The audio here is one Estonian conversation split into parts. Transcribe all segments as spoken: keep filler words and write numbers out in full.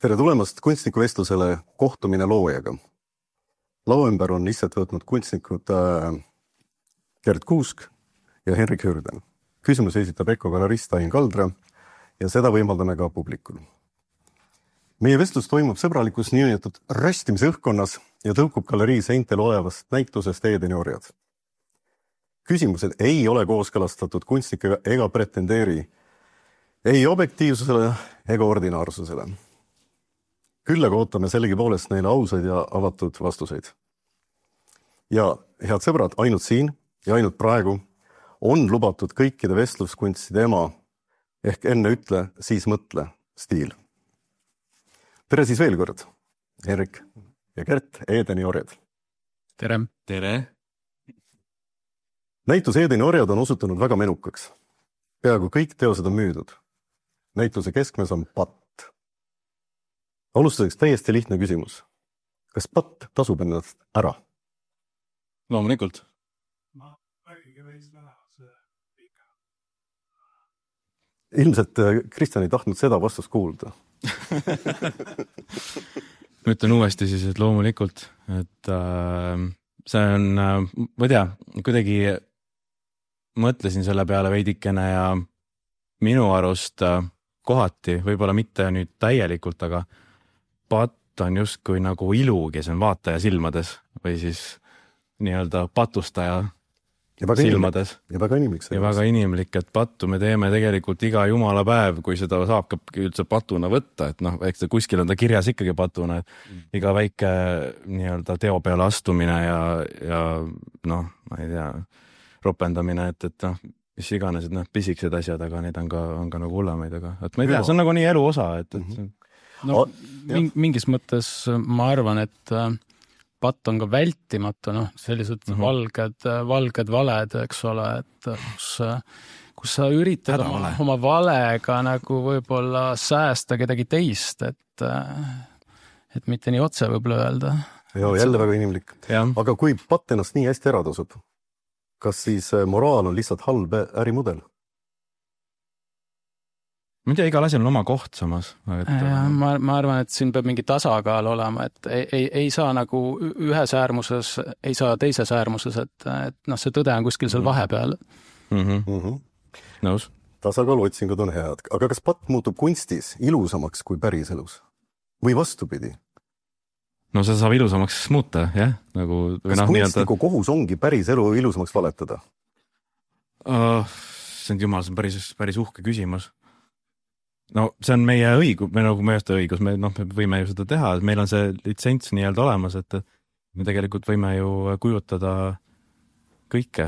Tere tulemast kunstnikuvestlusele kohtumine loojaga. Lao ümber on lihtsalt võtnud kunstnikud äh, Gerd Kuusk ja Henrik Hürden. Küsimus esitab Eko galerist Ain Kaldra ja seda võimaldame ka publikul. Meie vestlus toimub sõbralikus niinimetatud röstimise õhkkonnas ja tõukub galerii seintel olevast näitusest Eedeni orjad. Küsimused ei ole kooskõlastatud kunstnikega ega pretendeeri ei objektiivsusele ega ordinaarsusele. Küll aga ootame sellegi poolest neile ausaid ja avatud vastuseid. Ja head sõbrad, ainult siin ja ainult praegu on lubatud kõikide vestluskunstide ema ehk enne ütle, siis mõtle stiil. Tere siis veel kord, Henrik ja Gert, Eedeni orjad. Tere. Tere. Näitus Eedeni orjad on osutunud väga menukaks. Peaaegu kõik teosed on müüdud. Näituse keskmes on patt. Alustuseks täiesti lihtne küsimus. Kas patt tasub ennast ära? Loomulikult. Ilmselt Kristjan ei tahtnud seda vastust kuulda. Ma ütlen uuesti siis, et loomulikult, et äh, see on, äh, ma ei tea, kuidagi mõtlesin selle peale veidikene ja minu arust äh, kohati, võib-olla mitte nüüd täielikult, aga patt on justkui nagu ilu, kes on vaataja silmades või siis nii-öelda patustaja ja silmades. Inimlik. Ja väga inimlik. Ja väga inimlik, et pattu me teeme tegelikult iga jumala päev, kui seda saab üldse patuna võtta, et noh, eks ta kuskil on ta kirjas ikkagi patuna, et mm. iga väike nii-öelda teo peale astumine ja, ja noh, ma ei tea, ropendamine, et, et noh, mis iganes, et noh, pisikesed asjad, aga neid on ka, on ka nagu hullamaid, aga et ma ei tea, see on nagu nii elu osa, et, et mm-hmm. no, mingis mõttes ma arvan, et patt on ka vältimatu, noh, sellised mm-hmm. valged, valged valed, eks ole, et kus, kus sa üritad oma, oma valega nagu võib-olla säästa kedagi teist, et, et mitte nii otse võib-olla öelda. Joo, jälle väga inimlik. Ja. Aga kui patt ennast nii hästi ära tasub, kas siis moraal on lihtsalt halb ärimudel? Ma ei tea, igal asjal on oma koht samas. Et... Ja, ma, ma arvan, et siin peab mingi tasakaal olema, et ei, ei, ei saa nagu ühes äärmuses, ei saa teises äärmuses, et, et noh, see tõde on kuskil seal vahepeal. Mm-hmm. Mm-hmm. Nõus. Tasakaal otsingud on head. Aga kas patt muutub kunstis ilusamaks kui päris elus? Või vastupidi? No see saab ilusamaks muuta, jah? Nagu, kas no, kunstniku nii, kohus ongi päris elu ilusamaks valetada? Uh, see on jumal, see on päris, päris uhke küsimus. No see on meie õigus, me nagu meie õigus, me, noh, me võime ju seda teha, meil on see litsents nii-öelda olemas, et me tegelikult võime ju kujutada kõike,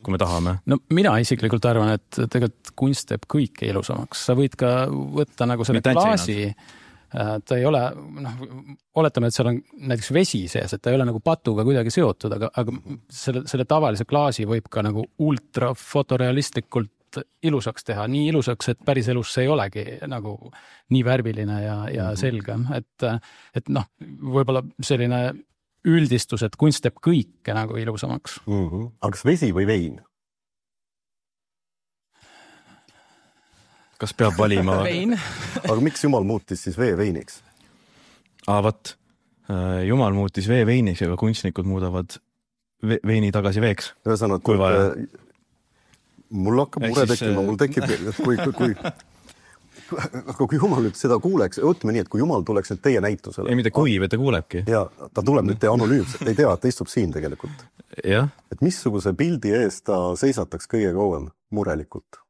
kui me tahame. No mina isiklikult arvan, et tegelikult kunst teeb kõike ilusamaks. Sa võid ka võtta nagu selle klaasi, ta ei ole, noh, oletame, et seal on näiteks vesi sees, et ta ei ole nagu patuga kuidagi seotud, aga, aga selle, selle tavalise klaasi võib ka nagu ultra fotorealistlikult ilusaks teha, nii ilusaks, et päris elus see ei olegi nagu nii värviline ja, ja selge, et, et noh, võib-olla selline üldistus, et kunst teeb kõike nagu ilusamaks. Mm-hmm. Aga kas vesi või vein? Kas peab valima? Vein. Aga miks Jumal muutis siis vee veiniks? Aa, võt. Jumal muutis vee veiniks, aga kunstnikud muudavad veini tagasi veeks. Ühesõnaga, kui vaja. Mul hakkab mure tekkima, mul tekib, kui, kui, kui, aga kui Jumal nüüd seda kuuleks, ütleme nii, et kui Jumal tuleks nüüd teie näitusele. Ei, mitte kui, või ta kuulebki. Ja ta tuleb nüüd teie anonüümselt, ei tea, et ta istub siin tegelikult. Ja. Et missuguse pildi eest ta seisataks kõige kauem murelikult?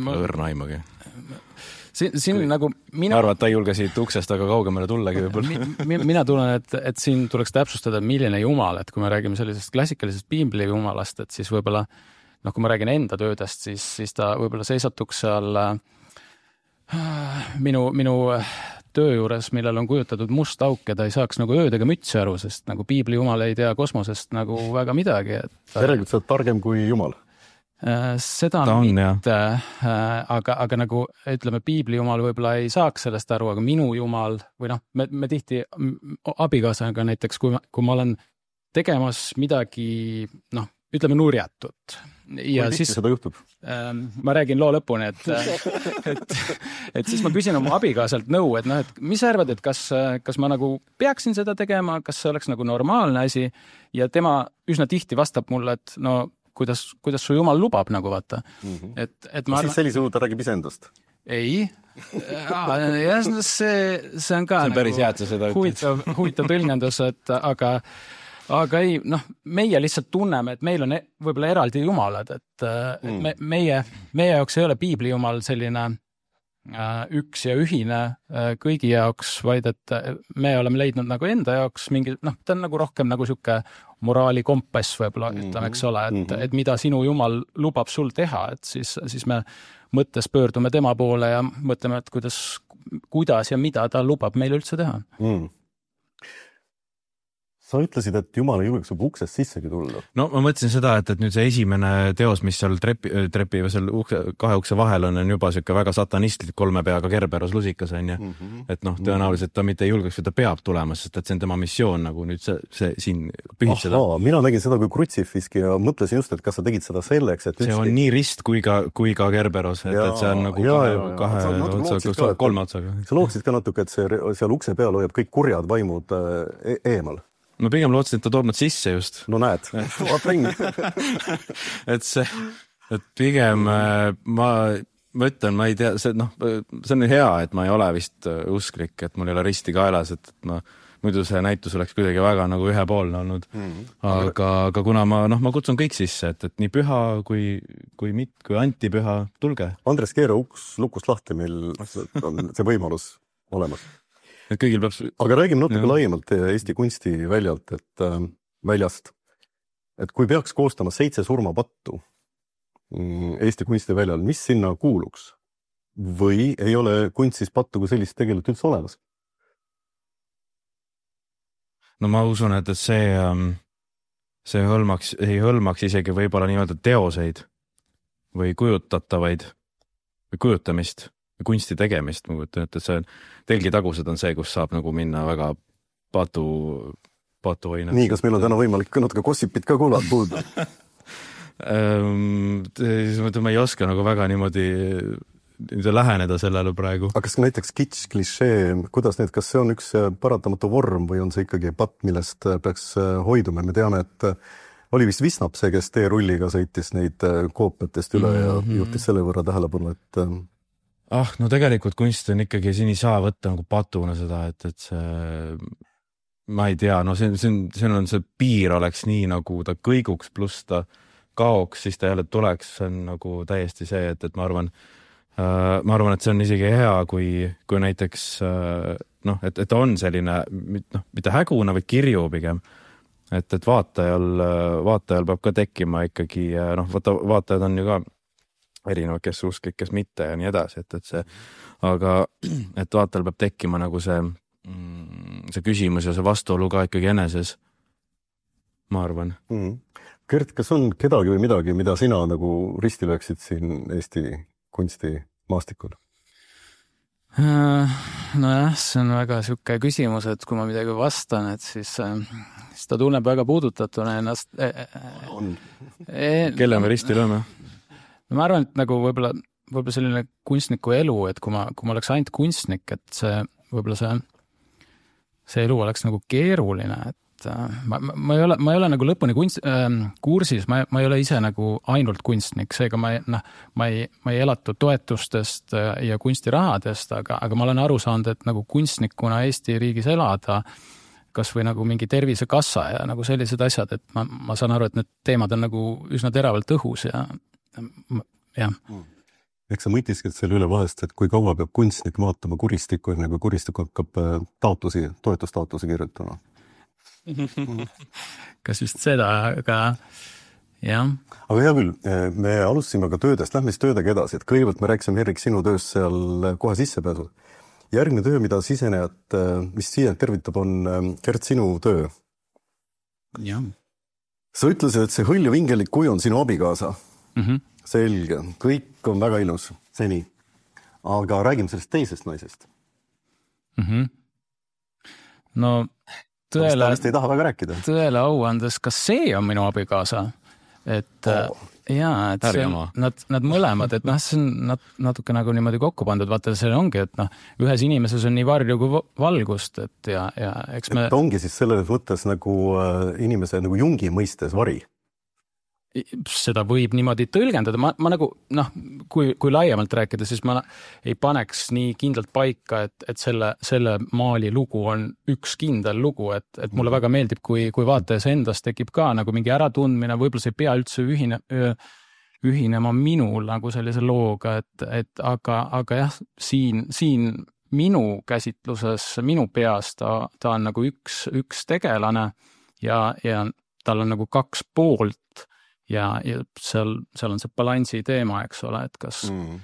Ma õrna aimagi. Siin, siin kui, nagu mina... Ma arvan, et ta ei julge siit uksest aga kaugemale tullagi võib-olla. Mi, mina tulen, et, et siin tuleks täpsustada, milline jumal, et kui me räägime sellisest klassikalisest piibli jumalast, et siis võib-olla, noh, kui ma räägin enda töödest, siis, siis ta võib-olla seisatuks seal äh, minu, minu töö juures, millel on kujutatud must auk ja ta ei saaks nagu öödega mütsi aru, sest nagu piibli jumal ei tea kosmosest nagu väga midagi. Et, järelikult sa oled targem kui jumal. Seda on, mitte, aga, aga nagu ütleme, piibli jumal võib-olla ei saaks sellest aru, aga minu jumal või noh, me, me tihti abikaasaga näiteks, kui ma, kui ma olen tegemas midagi, noh, ütleme nurjatut ja siis seda juhtub? Ma räägin loo lõpuni, et, et, et siis ma küsin oma abikaasalt nõu, et noh, et mis sa arvad, et kas, kas ma nagu peaksin seda tegema, kas see oleks nagu normaalne asi ja tema üsna tihti vastab mulle, et no kuidas, kuidas su jumal lubab nagu vaata. Mm-hmm. Et, et ma arvan... Siis sellise ta räägib isendast? Ei. Ja, see, see on ka see on päris nagu hea, et sa seda huvitav, huvitav tõlgendus, et aga Aga ei, noh, meie lihtsalt tunneme, et meil on võib-olla eraldi jumalad, et, mm. et me, meie, meie jaoks ei ole piibli jumal selline äh, üks ja ühine äh, kõigi jaoks, vaid et me oleme leidnud nagu enda jaoks mingi, noh, ta on nagu rohkem nagu sihuke moraali kompass võib-olla, ütleme, eks ole, et, et mida sinu jumal lubab sul teha, et siis, siis me mõttes pöördume tema poole ja mõtleme, et kuidas, kuidas ja mida ta lubab meil üldse teha. Mm. Sa ütlesid, et Jumal ei julgeks juba uksest sissegi tulla. No ma mõtlesin seda, et, et nüüd see esimene teos, mis seal trepi, trepi või seal ukse, kahe ukse vahel on, on juba siuke väga satanistlik kolme peaga Kerberos lusikas on ja mm -hmm. et noh, tõenäoliselt ta mitte ei julgeks, et ta peab tulema, sest et see on tema missioon nagu nüüd see, see siin pühitseda. Mina nägin seda kui krutsifiski ja mõtlesin just, et kas sa tegid seda selleks, et see on nii rist kui ka, kui ka Kerberos, et, et see on nagu ja, kahe, ja, kahe otsa, otsa, kolme otsaga. Sa looksid ka natuke, et see, seal ukse peal hoiab kõik kurjad vaimud e eemal. Ma pigem lootsin, et ta toob nad sisse just. No näed, vaat ringi. et see, et pigem ma, ma ütlen, ma ei tea, see, noh, see on hea, et ma ei ole vist usklik, et mul ei ole risti kaelas, et ma, muidu see näitus oleks kuidagi väga nagu ühepoolne olnud. Mm-hmm. Aga, aga kuna ma, noh, ma kutsun kõik sisse, et, et nii püha kui, kui mit, kui antipüha, tulge. Andres, keera uks lukust lahti, meil on see võimalus olemas. Et kõigil peab... Aga räägime natuke ja. laiemalt Eesti kunstiväljalt, et äh, väljast, et kui peaks koostama seitse surmapattu Eesti kunstiväljal, mis sinna kuuluks? Või ei ole kunstis pattu kui sellist tegelikult üldse olemas? No ma usun, et see, see hõlmaks, ei hõlmaks isegi võib-olla nii-öelda teoseid või kujutatavaid või kujutamist. Kunsti tegemist, ma kujutan, et see telgitagused on see, kus saab nagu minna väga patu, patu hoinad. Nii, kas meil on täna võimalik natuke gossipit ka kuulda? ma ei oska nagu väga niimoodi, niimoodi läheneda sellele praegu. Aga kas näiteks kitsch, klišee, kuidas need, kas see on üks paratamatu vorm või on see ikkagi patt, millest peaks hoiduma? Me teame, et oli vist Visnap see, kes teerulliga sõitis neid koopiatest üle mm-hmm. ja juhtis selle võrra tähelepanu, et ah, no tegelikult kunst on ikkagi, siin ei saa võtta nagu patuna seda, et, et see, ma ei tea, no see, see, on, see on see piir oleks nii nagu ta kõiguks pluss ta kaoks, siis ta jälle tuleks, see on nagu täiesti see, et, et ma arvan, äh, ma arvan, et see on isegi hea, kui, kui näiteks äh, noh, et, et on selline, noh, mitte häguna või kirju pigem, et, et vaatajal, vaatajal peab ka tekkima ikkagi, noh, vaata, vaatajad on ju ka erinevad, kes usklik, kes mitte ja nii edasi, et, et see, aga et vaatajal peab tekkima nagu see, see küsimus ja see vastuolu ka ikkagi eneses, ma arvan. Mm. Gert, kas on kedagi või midagi, mida sina nagu risti lööksid siin Eesti kunstimaastikul? Nojah, see on väga siuke küsimus, et kui ma midagi vastan, et siis, siis ta tunneb väga puudutatuna ennast. On. E, Kelle me risti lööme? Ma arvan, et nagu võib-olla, võib-olla selline kunstniku elu, et kui ma, kui ma oleks ainult kunstnik, et see, võib-olla see, see elu oleks nagu keeruline, et ma, ma, ei ole, ma ei ole nagu lõpuni kunst, äh, kursis, ma, ma ei ole ise nagu ainult kunstnik, seega ma, noh, ma ei, ma ei elatu toetustest ja kunstirahadest, aga, aga ma olen aru saanud, et nagu kunstnikuna Eesti riigis elada, kas või nagu mingi tervisekassa ja nagu sellised asjad, et ma, ma saan aru, et need teemad on nagu üsna teravalt õhus ja jah. Eks sa mõtisked selle üle vahest, et kui kaua peab kunstnik vaatama kuristikku, enne kui kuristik hakkab taotlusi, toetustaotlusi kirjutama? Kas just seda, aga jah. Aga hea küll, me alustasime ka töödest, lähme siis töödega edasi, et kõigepealt me rääkisime Erik sinu tööst seal kohe sissepääsul. Järgmine töö, mida sisenejad, mis sisenejad tervitab, on Gert sinu töö. Jah. Sa ütlesid, et see hõlju vingelik kuju on sinu abikaasa. Mm-hmm. Selge, kõik on väga ilus seni, aga räägime sellest teisest naisest. Mm-hmm. No tõele, ei taha väga rääkida. Tõele au andes, kas see on minu abikaasa? Et, oh, jaa, et see, nad, nad mõlemad, et noh, see on nat, natuke nagu niimoodi kokku pandud, vaata see ongi, et noh, ühes inimeses on nii varju kui valgust, et ja, ja eks me... Et ongi siis selles mõttes nagu äh, inimese nagu Jungi mõistes vari? Seda võib niimoodi tõlgendada, ma, ma nagu noh, kui, kui laiemalt rääkida, siis ma ei paneks nii kindlalt paika, et, et selle, selle maali lugu on üks kindel lugu, et, et mulle väga meeldib, kui, kui vaatajas endas tekib ka nagu mingi äratundmine, võib-olla see ei pea üldse ühine, ühinema minul nagu sellise looga, et, et aga, aga jah, siin, siin minu käsitluses, minu peas ta, ta on nagu üks, üks tegelane ja, ja tal on nagu kaks poolt ja, ja seal, seal on see balansi teema, eks ole, et kas mm.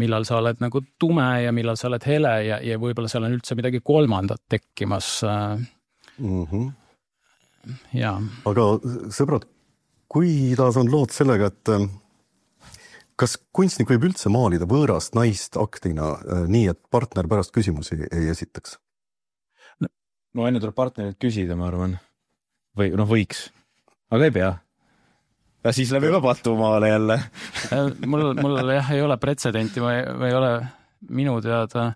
millal sa oled nagu tume ja millal sa oled hele ja, ja võib-olla seal on üldse midagi kolmandat tekkimas. Mm-hmm. Ja. Aga sõbrad, kuidas on lood sellega, et kas kunstnik võib üldse maalida võõrast naist aktina nii, et partner pärast küsimusi ei esitaks? No, no enne tuleb partnerit küsida, ma arvan. Või noh, võiks. Aga ei pea. Ja siis läbi juba patumaale jälle. mul, mul jah, ei ole pretsedenti, ma ei, ma ei ole minu teada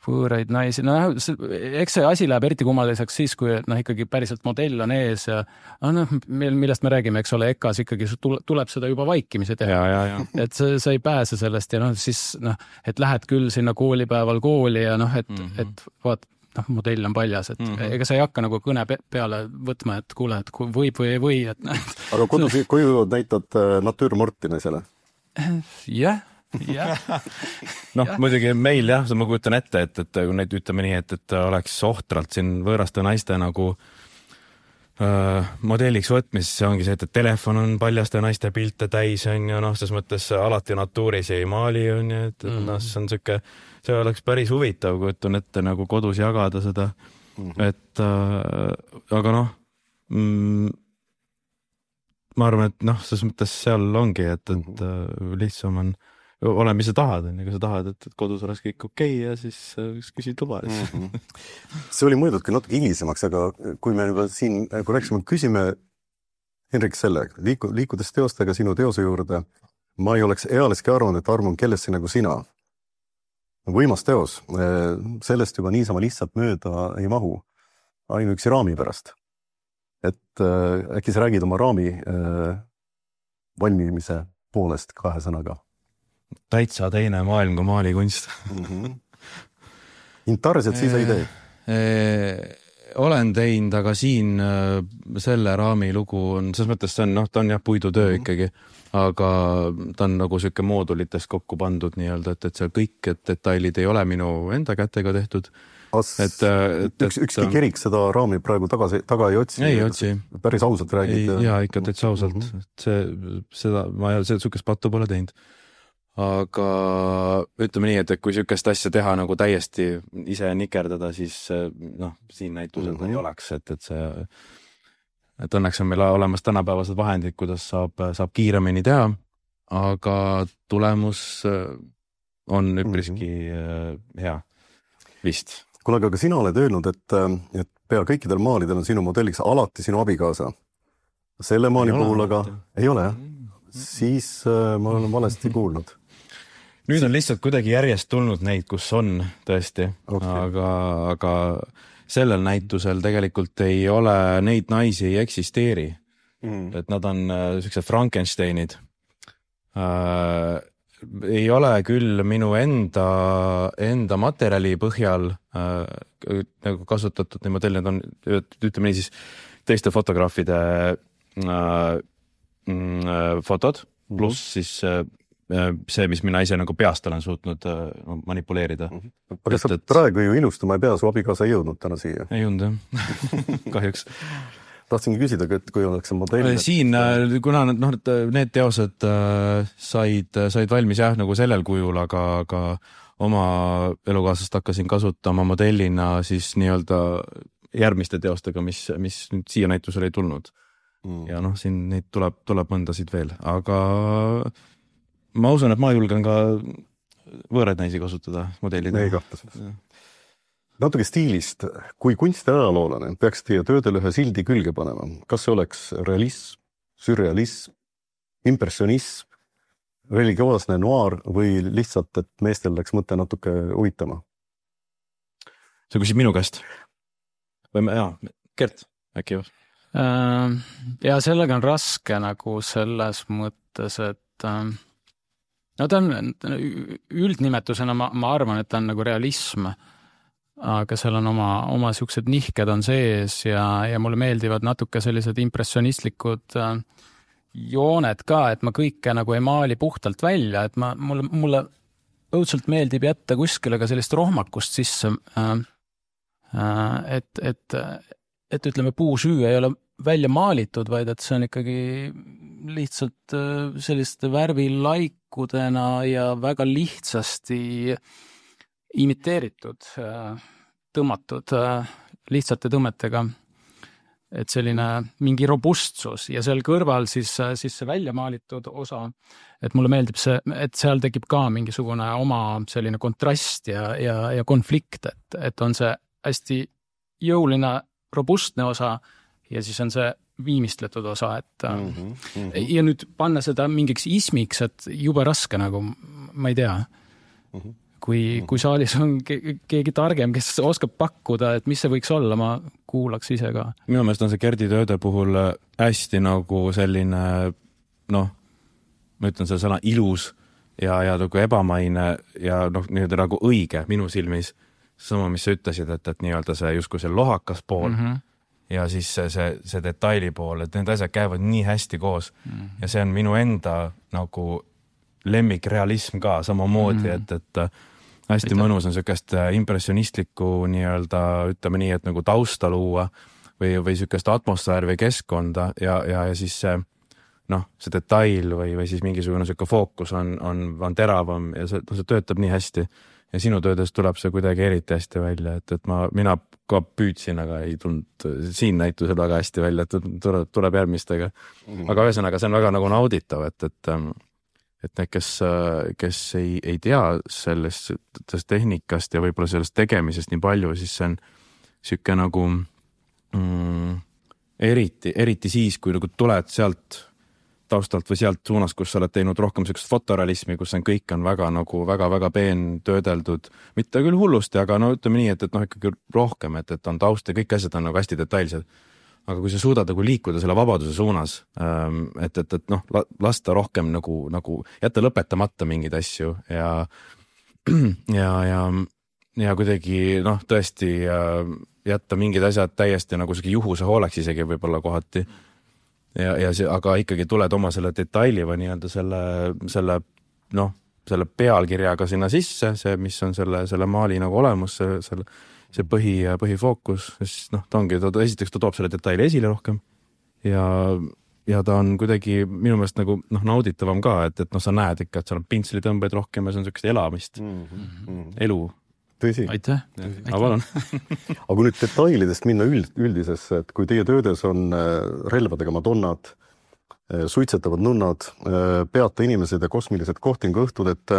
võõraid naisi. No eks see asi läheb eriti kummaliseks siis, kui noh, ikkagi päriselt modell on ees ja noh, millest me räägime, eks ole, ekas ikkagi tuleb seda juba vaikimise teha. Ja, ja, ja. Et sa, sa ei pääse sellest ja noh, siis noh, et lähed küll sinna koolipäeval kooli ja noh, et, mm-hmm. et vaat, noh, modell on paljas, et mm-hmm. ega sa ei hakka nagu kõne peale võtma, et kuule, et võib või ei või. Et... Aga kodus, koju näitad natüürmorti naisele? Jah, jah. noh, muidugi meil jah, ma kujutan ette, et, et kui neid ütleme nii, et, et oleks ohtralt siin võõraste naiste nagu äh, modelliks võtmis, see ongi see, et telefon on paljaste naiste pilte täis on ju, noh, ses mõttes alati natuuris ei maali on ju, et mm. noh, see on siuke see oleks päris huvitav, kui ütlen ette nagu kodus jagada seda, mm-hmm. et äh, aga noh, mm, ma arvan, et noh, selles mõttes seal ongi, et, et äh, lihtsam on, ole, mis sa tahad, on, kui sa tahad, et, et kodus oleks kõik okei okay ja siis äh, küsid luba. Mm-hmm. See oli mõeldudki natuke hilisemaks, aga kui me juba siin, kui rääksime, küsime Henrik selle, liiku, liikudes teostega sinu teose juurde, ma ei oleks ealeski arvanud, et armun kellesse nagu sina. Võimas teos, sellest juba niisama lihtsalt mööda ei mahu, ainuüksi raami pärast. Et äkki sa räägid oma raami valmimise poolest kahe sõnaga? Täitsa teine maailm kui maalikunst. Mm-hmm. Intarset siis ei tee? Olen teinud, aga siin selle raami lugu on, selles mõttes see on, noh, ta on jah puidutöö mm-hmm. ikkagi, aga ta on nagu selline moodulitest kokku pandud nii-öelda, et, et seal kõik et detailid ei ole minu enda kätega tehtud. As, et, et, üks, ükski kerik seda raami praegu tagasi, taga ei otsi. Ei otsi. Päris ausalt räägid. Jaa, ikka täitsa ausalt. Mm-hmm. See, seda, ma ei ole sukest pattu pole teinud. Aga ütleme nii, et kui sükest asja teha nagu täiesti ise nikerdada, siis noh, siin näitusel mm-hmm. ei oleks, et, et see et õnneks on meil olemas tänapäevased vahendid, kuidas saab, saab kiiremini teha, aga tulemus on üpriski mm-hmm. hea vist. Kuule, aga sina oled öelnud, et, et pea kõikidel maalidel on sinu modelliks alati sinu abikaasa. Selle maali puhul aga ei ole, jah? Siis äh, ma olen valesti kuulnud. Nüüd on lihtsalt kuidagi järjest tulnud neid, kus on tõesti, okay. aga, aga sellel näitusel tegelikult ei ole, neid naisi ei eksisteeri. Mm. Et nad on sellised Frankensteinid. Äh, ei ole küll minu enda, enda materjali põhjal äh, nagu kasutatud nii modell, need on, ütleme nii siis, teiste fotograafide äh, fotod, pluss mm-hmm. siis äh, see, mis mina ise nagu peast olen suutnud äh, manipuleerida. Mm-hmm. Aga sa et... praegu ju ilustama ei pea, su abikaasa ei jõudnud täna siia. Ei jõudnud, jah. Kahjuks. Tahtsingi küsida, et kui oleks see modell... Siin, kuna no, need teosed äh, said, said valmis jah, nagu sellel kujul, aga, aga oma elukaaslast hakkasin kasutama modellina siis nii-öelda järgmiste teostega, mis, mis nüüd siia näitusele ei tulnud. Mm. Ja noh, siin neid tuleb, tuleb mõndasid veel, aga ma usun, et ma julgen ka võõraid naisi kasutada modellida. Ei kahtas. Natuke stiilist, kui kunstiajaloolane peaks teie töödele ühe sildi külge panema, kas see oleks realism, sürrealism, impressionism, religioosne noir või lihtsalt, et meestel läks mõte natuke uitama? sa küsid minu käest? Või me, jaa, Gert, äkki jah? Ja sellega on raske nagu selles mõttes, et no ta on üldnimetusena, ma, ma arvan, et ta on nagu realism, aga seal on oma, oma siuksed nihked on sees ja, ja mulle meeldivad natuke sellised impressionistlikud jooned ka, et ma kõike nagu ei maali puhtalt välja, et ma, mulle, mulle õudselt meeldib jätta kuskile ka sellist rohmakust sisse, et, et, et ütleme, puusüü ei ole välja maalitud, vaid et see on ikkagi lihtsalt selliste värvilaikudena ja väga lihtsasti imiteeritud, tõmmatud lihtsate tõmmetega, et selline mingi robustsus ja seal kõrval siis, siis see välja maalitud osa, et mulle meeldib see, et seal tekib ka mingisugune oma selline kontrast ja, ja, ja konflikt, et, et on see hästi jõuline robustne osa ja siis on see viimistletud osa, et mm -hmm, mm -hmm. ja nüüd panna seda mingiks ismiks, et jube raske nagu, ma ei tea, mm -hmm. kui, kui saalis on ke keegi targem, kes oskab pakkuda, et mis see võiks olla, ma kuulaks ise ka. Minu meelest on see Gerdi tööde puhul hästi nagu selline, noh, ma ütlen selle sõna ilus ja, ja nagu ebamaine ja noh, nii-öelda nagu õige minu silmis. Sama, mis sa ütlesid, et, et nii-öelda see justkui see lohakas pool mm -hmm. ja siis see, see, see detaili pool, et need asjad käivad nii hästi koos mm -hmm. ja see on minu enda nagu lemmikrealism ka samamoodi mm, -hmm. et, et hästi Aitäh. Mõnus on sükest impressionistlikku nii-öelda, ütleme nii, et nagu tausta luua või, või sükest atmosfääri või keskkonda ja, ja, ja siis see, noh, see detail või, või siis mingisugune süke fookus on, on, on teravam ja see, see töötab nii hästi. Ja sinu töödes tuleb see kuidagi eriti hästi välja, et, et ma, mina ka püüdsin, aga ei tulnud siin näitusel väga hästi välja, et tuleb, tuleb järgmistega. Mm -hmm. Aga ühesõnaga, see on väga nagu nauditav, et, et, et need, kes, kes ei, ei tea sellest, sellest tehnikast ja võib-olla sellest tegemisest nii palju, siis see on süke nagu mm, eriti, eriti siis, kui nagu tuled sealt taustalt või sealt suunas, kus sa oled teinud rohkem sellist fotorealismi, kus on kõik on väga nagu väga-väga peen töödeldud, mitte küll hullusti, aga no ütleme nii, et, et noh, ikkagi rohkem, et, et on taust ja kõik asjad on nagu hästi detailsed. Aga kui sa suudad nagu liikuda selle vabaduse suunas, et, et, et noh, lasta rohkem nagu, nagu jätta lõpetamata mingeid asju ja, ja, ja, ja kuidagi noh, tõesti jätta mingid asjad täiesti nagu juhuse hooleks isegi võib-olla kohati. Ja, ja see, aga ikkagi tuled oma selle detaili või nii-öelda selle, selle, noh, selle pealkirjaga sinna sisse, see, mis on selle, selle maali nagu olemus, see, selle, see põhi, põhifookus, siis noh, ta ongi, ta, esiteks ta toob selle detaili esile rohkem ja, ja ta on kuidagi minu meelest nagu noh, nauditavam ka, et, et noh, sa näed ikka, et seal on pintslitõmbeid rohkem ja see on sellist elamist, mm -hmm. elu. Tõsi. Aitäh. Aga palun. Aga kui nüüd detailidest minna üld, üldisesse, et kui teie töödes on relvadega madonnad, suitsetavad nunnad, peata inimesed ja kosmilised kohtinguõhtud, et,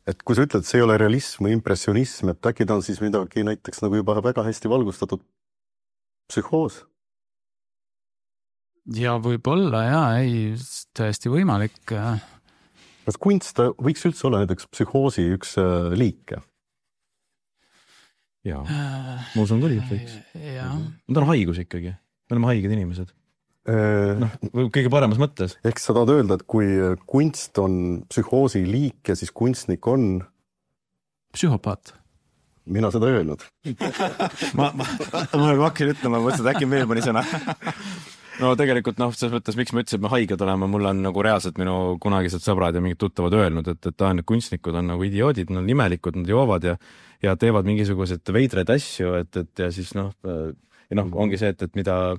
et kui sa ütled, et see ei ole realism või impressionism, et äkki ta on siis midagi näiteks nagu juba väga hästi valgustatud psühhoos? Ja võib-olla, jaa, ei, tõesti võimalik. Kas kunst võiks üldse olla näiteks psühhoosi üks liike? Jaa, ma usun küll, et võiks. Ta on haigus ikkagi. Me oleme haiged inimesed. No, kõige paremas mõttes. Ehk sa tahad öelda, et kui kunst on psühhoosi liik ja siis kunstnik on psühhopaat. Mina seda öelnud. ma, ma, ma, ma hakkin ütlema, ma mõtlesin, et äkki veel mõni sõna. No tegelikult noh, selles mõttes, miks ma ütlesin, et me haiged oleme, mul on nagu reaalselt minu kunagised sõbrad ja mingid tuttavad öelnud, et, et ta on, kunstnikud on nagu idioodid, nad on imelikud, nad joovad ja, ja teevad mingisugused veidreid asju, et, et ja siis noh, ja noh, ongi see, et, et mida,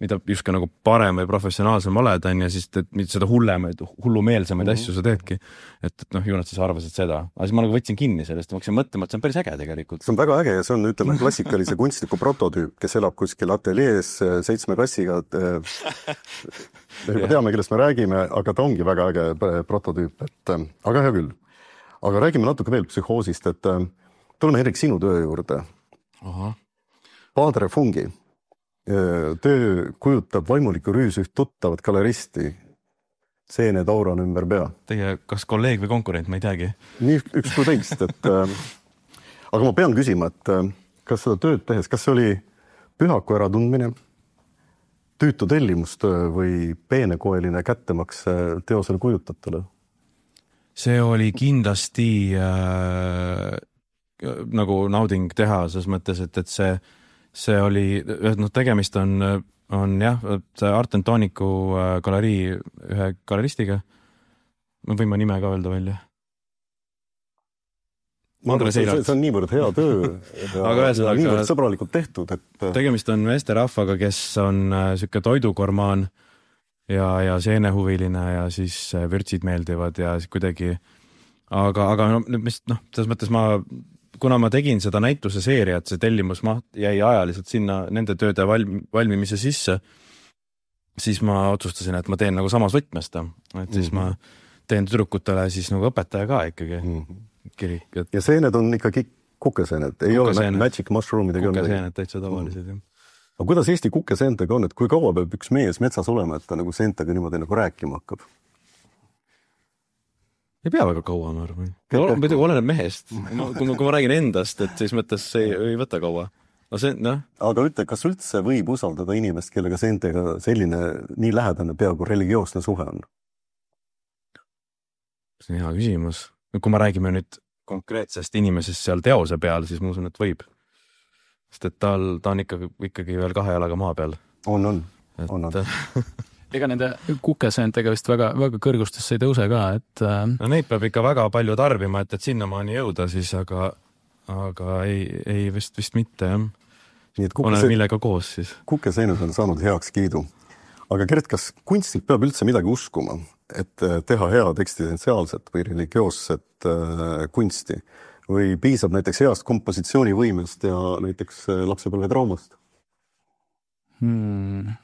mida justkui nagu parem või professionaalsem oled, on ja siis et, seda hullemaid, hullumeelsemaid mm -hmm. asju sa teedki. Et, et noh, ju nad siis arvasid seda. Aga siis ma nagu võtsin kinni sellest ja ma hakkasin mõtlema, et see on päris äge tegelikult. See on väga äge ja see on, ütleme, klassikalise kunstniku prototüüp, kes elab kuskil ateljees seitsme kassiga. Me juba teame, kellest me räägime, aga ta ongi väga äge prototüüp. Et, aga hea küll. Aga räägime natuke veel psühhoosist, et tuleme Erik sinu töö juurde. Aha. Padre Fungi. Töö kujutab vaimuliku rüüs üht tuttavat galeristi, seened aurana ümber pea. Teie kas kolleeg või konkurent, ma ei teagi. Nii üks kui teist, et äh, aga ma pean küsima, et äh, kas seda tööd tehes, kas see oli pühaku äratundmine, tüütu tellimustöö või peenekoeline kättemaks teosele kujutatule? See oli kindlasti äh, nagu nauding teha, selles mõttes, et, et see, see oli, no tegemist on, on jah, see Art and Tonicu galerii ühe galeristiga. Ma võin ma nime ka öelda välja. Andres Eilats. See on niivõrd hea töö ja, aga ja niivõrd sõbralikult tehtud. Et... Tegemist on meesterahvaga, kes on siuke toidukormaan ja, ja seenehuviline ja siis vürtsid meeldivad ja kuidagi, aga, aga no, mis, noh, selles mõttes ma, kuna ma tegin seda näituse seeriat, see tellimus maht jäi ajaliselt sinna nende tööde valm, valmimise sisse, siis ma otsustasin, et ma teen nagu samas võtmesta, et siis mm-hmm. ma teen tüdrukutele siis nagu õpetaja ka ikkagi mm-hmm. kirik. Et... Ja seened on ikkagi kukeseened, ei kukeseened. Ole magic mushroomidega. Kukeseened täitsa tavalised, jah. Aga kuidas Eesti kukeseentega on, et kui kaua peab üks mees metsas olema, et ta nagu seentega niimoodi nagu rääkima hakkab? Ei pea väga kaua, ma arvan. Muidugi oleneb mehest. Kui ma, kui ma räägin endast, et siis mõttes ei, ei võta kaua. No see, no. Aga ütle, kas üldse võib usaldada inimest, kellega seentega selline nii lähedane peaaegu religioosne suhe on? See on hea küsimus. Kui ma räägime nüüd konkreetsest inimesest seal teose peal, siis ma usun, et võib. Sest et tal, ta on ikkagi, ikkagi veel kahe jalaga maa peal. On, on. Et... on, on. Ega nende kukeseentega vist väga, väga kõrgustesse ei tõuse ka, et... No neid peab ikka väga palju tarbima, et, et sinna maani jõuda siis, aga, aga ei, ei vist, vist mitte, jah. Nii et kukese... Olen millega koos siis. Kukeseenud on saanud heaks kiidu. Aga Gert, kas kunstnik peab üldse midagi uskuma, et teha head eksistentsiaalset või religioosset äh, kunsti? Või piisab näiteks heast kompositsioonivõimest ja näiteks lapsepõlve traumast? Hmm.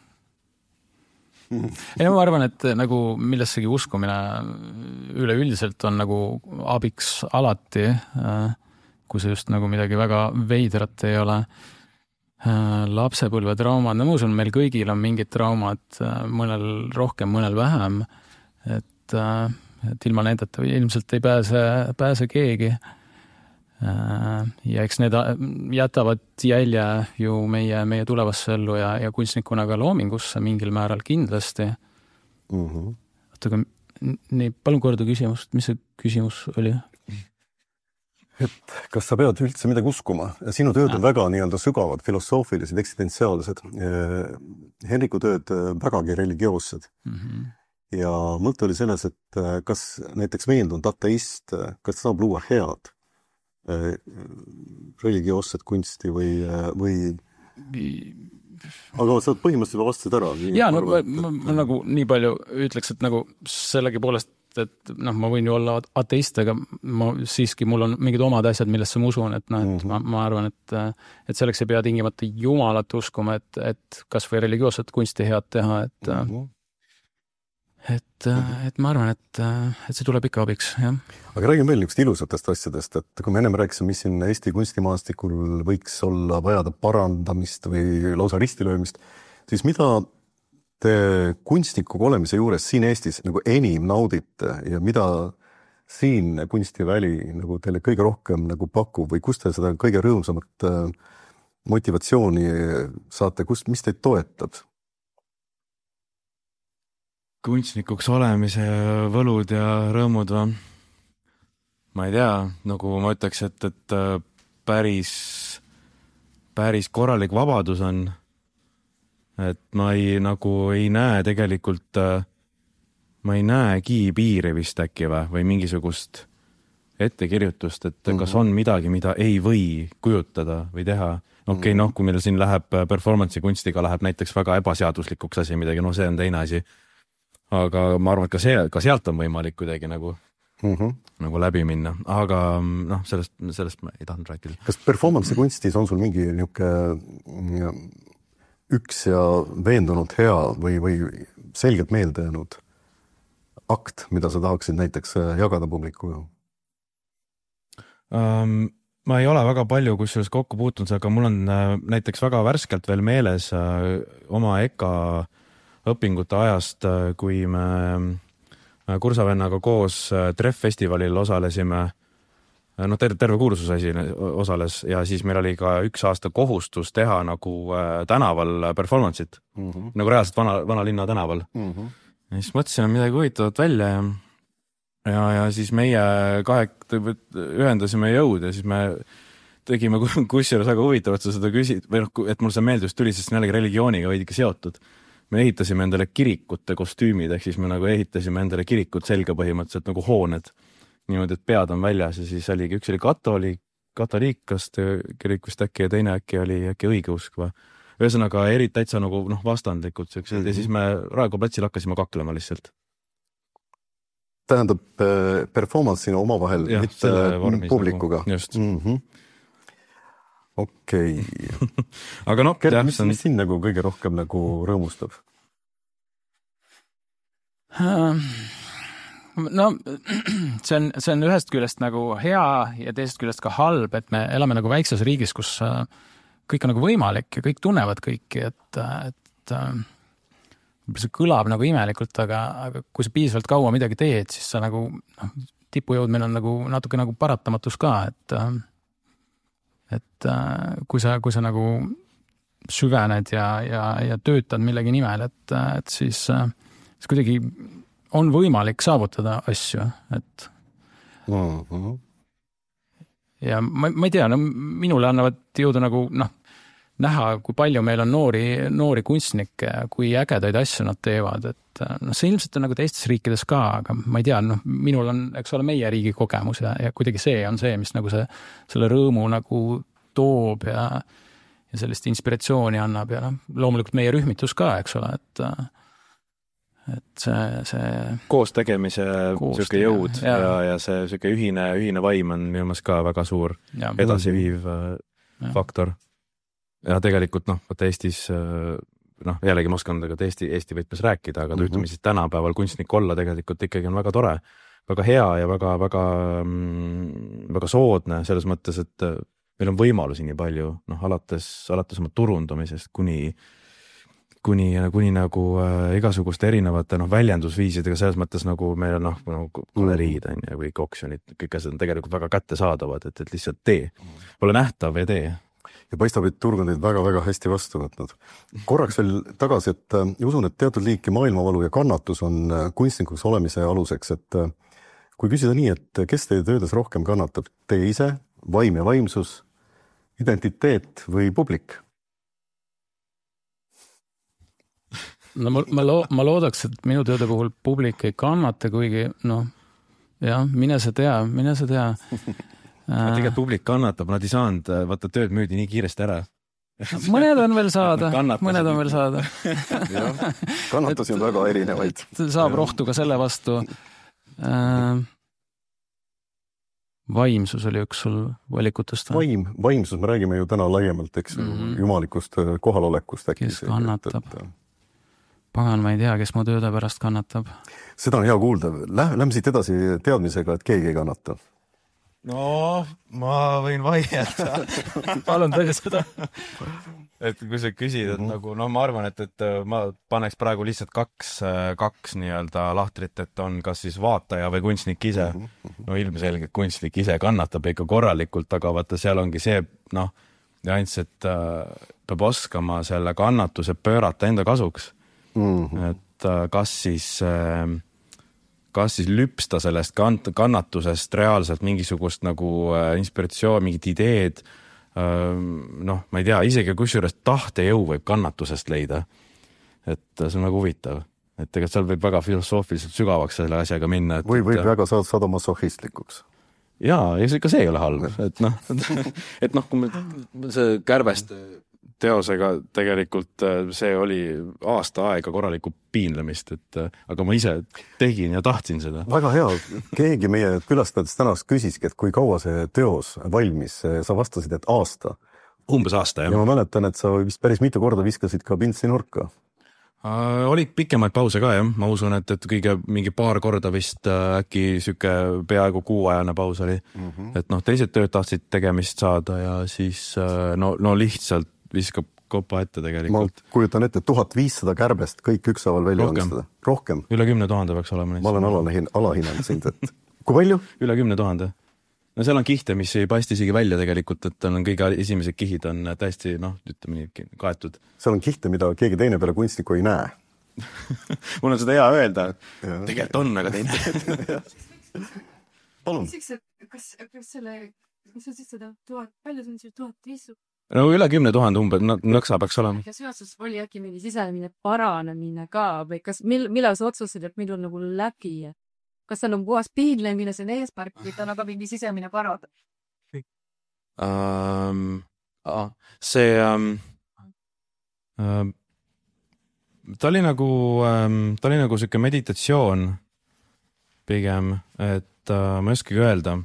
Ei, ma arvan, et nagu millessegi uskumine üleüldiselt on nagu abiks alati, kui see just nagu midagi väga veidrat ei ole. Lapsepõlve traumad, no ma usun, meil kõigil on mingid traumad, mõnel rohkem, mõnel vähem, et, et ilma nendeta ilmselt ei pääse, pääse keegi. Ja eks need jätavad jälje ju meie, meie tulevasse ellu ja, ja kunstnikuna ka loomingusse mingil määral kindlasti. Mm-hmm. Aga nii, palun korda küsimust, mis see küsimus oli? Et kas sa pead üldse midagi uskuma? Sinu tööd on ja. Väga nii-öelda sügavad, filosoofilised, eksistentsiaalsed. Henriku tööd vägagi religioossed. Mm-hmm. Ja mõte oli selles, et kas näiteks veendunud ateist, kas saab luua head religioosset kunsti või, või... aga sa põhimõtteliselt vastasid ära. Jaa, no ma, ma, ma nagu nii palju ütleks, et nagu sellegi poolest, et noh, ma võin ju olla ateist, aga ma siiski, mul on mingid omad asjad, millesse ma usun, et noh, et mm-hmm. ma, ma arvan, et, et selleks ei pea tingimata jumalat uskuma, et, et kas või religioosset kunsti head teha, et mm-hmm. et, et ma arvan, et, et see tuleb ikka abiks, jah. Aga räägime veel niisugust ilusatest asjadest, et kui me ennem rääkisime, mis siin Eesti kunstimaastikul võiks olla vajada parandamist või lausa ristilöömist, siis mida te kunstnikuga olemise juures siin Eestis nagu enim naudite ja mida siin kunstiväli nagu teile kõige rohkem nagu pakub või kust te seda kõige rõõmsamat motivatsiooni saate, kust, mis teid toetab? Kunstnikuks olemise võlud ja rõõmud või? Ma ei tea, nagu ma ütleks, et, et päris, päris korralik vabadus on. Et ma ei, nagu ei näe tegelikult, ma ei näegi piiri vist äkki või, või mingisugust ettekirjutust, et mm-hmm. kas on midagi, mida ei või kujutada või teha. Okei, okay, noh, kui meil siin läheb performance'i kunstiga läheb näiteks väga ebaseaduslikuks asi midagi, no see on teine asi. Aga ma arvan, et ka, see, ka sealt on võimalik kuidagi nagu, mm-hmm. nagu läbi minna. Aga noh, sellest, sellest ma ei tahtnud rääkida. Kas performance'i kunstis on sul mingi niisugune üks ja veendunud hea või, või selgelt meelde jäänud akt, mida sa tahaksid näiteks jagada publikuga? Um, ma ei ole väga palju kusjuures kokku puutunud, aga mul on näiteks väga värskelt veel meeles oma E K A õpingute ajast, kui me kursavennaga koos Treff-festivalil osalesime, noh terve, terve kursuse asi osales ja siis meil oli ka üks aasta kohustus teha nagu tänaval performance'it, mm -hmm. nagu reaalselt vana, vana linna tänaval. Mm -hmm. Ja siis mõtlesime midagi huvitavat välja ja, ja, ja siis meie kahe ühendasime jõud ja siis me tegime kusjuures väga huvitavat, sa seda küsid, või noh, et mul see meeldus tuli, sest jällegi religiooniga veidike seotud. Me ehitasime endale kirikute kostüümid, ehk siis me nagu ehitasime endale kirikut selga põhimõtteliselt nagu hooned. Niimoodi, et pead on väljas ja siis oligi, üks oli katoliik, katoliikast kirikust äkki ja teine äkki oli äkki õigeusk või. Ühesõnaga eri täitsa nagu noh, vastandlikud siuksed mm-hmm. ja siis me Raekoja platsil hakkasime kaklema lihtsalt. Tähendab performance'ina omavahel, ja, mitte publikuga. Nagu, just. Mm-hmm. Okei. Okay. Aga noh, Kert, mis, on... mis siin nagu kõige rohkem nagu rõõmustab? No see on, see on ühest küljest nagu hea ja teisest küljest ka halb, et me elame nagu väikses riigis, kus kõik on nagu võimalik ja kõik tunnevad kõiki, et, et see kõlab nagu imelikult, aga, aga kui sa piisavalt kaua midagi teed, siis sa nagu noh, tipujõudmine on nagu natuke nagu paratamatus ka, et et kui sa, kui sa nagu süvened ja, ja, ja töötad millegi nimel, et, et siis, siis kuidagi on võimalik saavutada asju, et mm-hmm. ja ma, ma ei tea, no minule annavad jõudu nagu noh, näha, kui palju meil on noori, noori kunstnikke, kui ägedaid asju nad teevad, et noh, see ilmselt on nagu teistes riikides ka, aga ma ei tea, noh, minul on, eks ole, meie riigi kogemus ja, ja kuidagi see on see, mis nagu see, selle rõõmu nagu toob ja, ja sellist inspiratsiooni annab ja noh, loomulikult meie rühmitus ka, eks ole, et et see, see koos tegemise siuke jõud ja, ja, ja see siuke ühine, ühine vaim on minu meelest ka väga suur ja, edasiviiv ja. faktor. Ja tegelikult noh, võtta Eestis, noh jällegi ma oskan tegelikult Eesti, Eesti võtmes rääkida, aga mm-hmm. ütleme siis tänapäeval kunstnik olla tegelikult ikkagi on väga tore, väga hea ja väga, väga, väga soodne selles mõttes, et meil on võimalusi nii palju, noh alates, alates oma turundamisest kuni kuni, kuni nagu äh, igasuguste erinevate noh, väljendusviisidega selles mõttes nagu meil on noh, nagu galeriid on ja kõik oksjonid, kõik asjad on tegelikult väga kättesaadavad, et, et lihtsalt tee. Ole nähtav ja tee. Ja paistab, et turg on teid väga-väga hästi vastu võtnud. Korraks veel tagasi, et äh, usun, et teatud liiki maailmavalu ja kannatus on äh, kunstnikuks olemise aluseks, et äh, kui küsida nii, et kes teie töödes rohkem kannatab, teie ise, vaim ja vaimsus, identiteet või publik? No ma, ma, lo, ma loodaks, et minu tööde puhul publik ei kannata, kuigi noh, jah, mine sa tea, mine sa tea. Tegelikult publik kannatab, nad ei saanud, vaata tööd müüdi nii kiiresti ära. Mõned on veel saada, mõned on veel saada. jah, kannatusi on väga erinevaid. Saab rohtu ka selle vastu. Vaimsus oli üks sul valikutest. Vaim, vaimsus, me räägime ju täna laiemalt, eks mm-hmm. jumalikust kohalolekust. Äkki kes kannatab? Et, et, pagan, ma ei tea, kes mu tööde pärast kannatab. Seda on hea kuulda. Lähme siit edasi teadmisega, et keegi ei kannata. No, ma võin vaielda. Palun tõi seda. Et kui sa küsid, et mm-hmm. nagu, no ma arvan, et, et ma paneks praegu lihtsalt kaks, kaks nii-öelda lahtrit, et on kas siis vaataja või kunstnik ise. Mm-hmm. No ilmselgelt kunstnik ise kannatab ikka korralikult, aga vaata, seal ongi see, noh, nüanss, et äh, peab oskama selle kannatuse pöörata enda kasuks. Mm-hmm. Et kas siis, kas siis lüpsta sellest kannatusest reaalselt mingisugust nagu inspiratsioon, mingid ideed, noh, ma ei tea, isegi kusjuures tahtejõu võib kannatusest leida. Et see on nagu huvitav. Et tegelikult seal võib väga filosoofiliselt sügavaks selle asjaga minna. Et, või võib et, väga saada masohhistlikuks. Jaa, ja ka see ei ole halb. Et noh, et noh, kui me see Kärvest teosega tegelikult see oli aasta aega korralikku piinlemist, et aga ma ise tegin ja tahtsin seda. Väga hea. Keegi meie külastajatest tänast küsiski, et kui kaua see teos valmis, sa vastasid, et aasta. Umbes aasta, jah. Ja ma mäletan, et sa vist päris mitu korda viskasid ka pintsi nurka. Uh, oli pikemaid pause ka, jah. Ma usun, et, et kõige mingi paar korda vist uh, äkki süke peaaegu kuuajane paus oli. Mm-hmm. Et noh, teised tööd tahtsid tegemist saada ja siis uh, no, no lihtsalt viskab kopa ette tegelikult. Ma kujutan ette tuhat viissada kärbest kõik üksaval välja omistada. Rohkem. Üle kümne tuhande peaks olema. Ma olen alahin, alahinnanud sind, et kui palju? Üle kümne tuhande. No seal on kihte, mis ei paista isegi välja tegelikult, et on kõige esimesed kihid on täiesti, noh, ütleme nii, kaetud. Seal on kihte, mida keegi teine peale kunstniku ei näe. Mul on seda hea öelda. Tegelikult on, aga teine. Palun. Kas, kas selle, mis on siis seda tuhat, palju see on siis tuhat viisu? No üle kümne tuhande umbe, nõksa peaks olema. Ja seoses oli äkki mingi sisemine paranemine ka või kas, mil, millal sa otsusid, et millal nagu läbi? Kas see on puhas piinle, mille see on eespark või ta on aga mingi sisemine parad? Um, ah, see um, um, ta oli nagu um, ta oli nagu siuke meditatsioon pigem, et uh, ma ei oskagi öelda.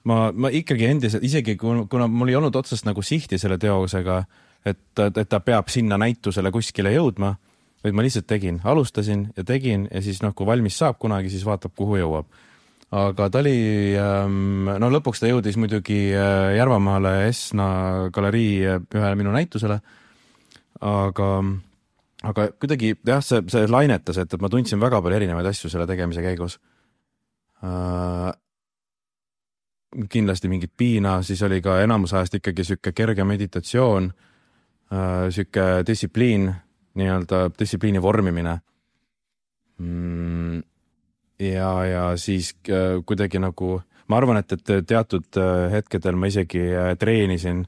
Ma, ma ikkagi endiselt, isegi kuna mul ei olnud otsast nagu sihti selle teosega, et, et ta peab sinna näitusele kuskile jõudma, vaid ma lihtsalt tegin, alustasin ja tegin ja siis noh, kui valmis saab kunagi, siis vaatab, kuhu jõuab. Aga ta oli, no lõpuks ta jõudis muidugi Järvamaale Esna galerii ühe minu näitusele, aga, aga kuidagi jah, see, see lainetas, et, et ma tundsin väga palju erinevaid asju selle tegemise käigus. Uh, kindlasti mingit piina, siis oli ka enamus ajast ikkagi sükke kerge meditatsioon, sükke distsipliin, nii-öelda distsipliini vormimine. Ja, ja siis kuidagi nagu, ma arvan, et, et teatud hetkedel ma isegi treenisin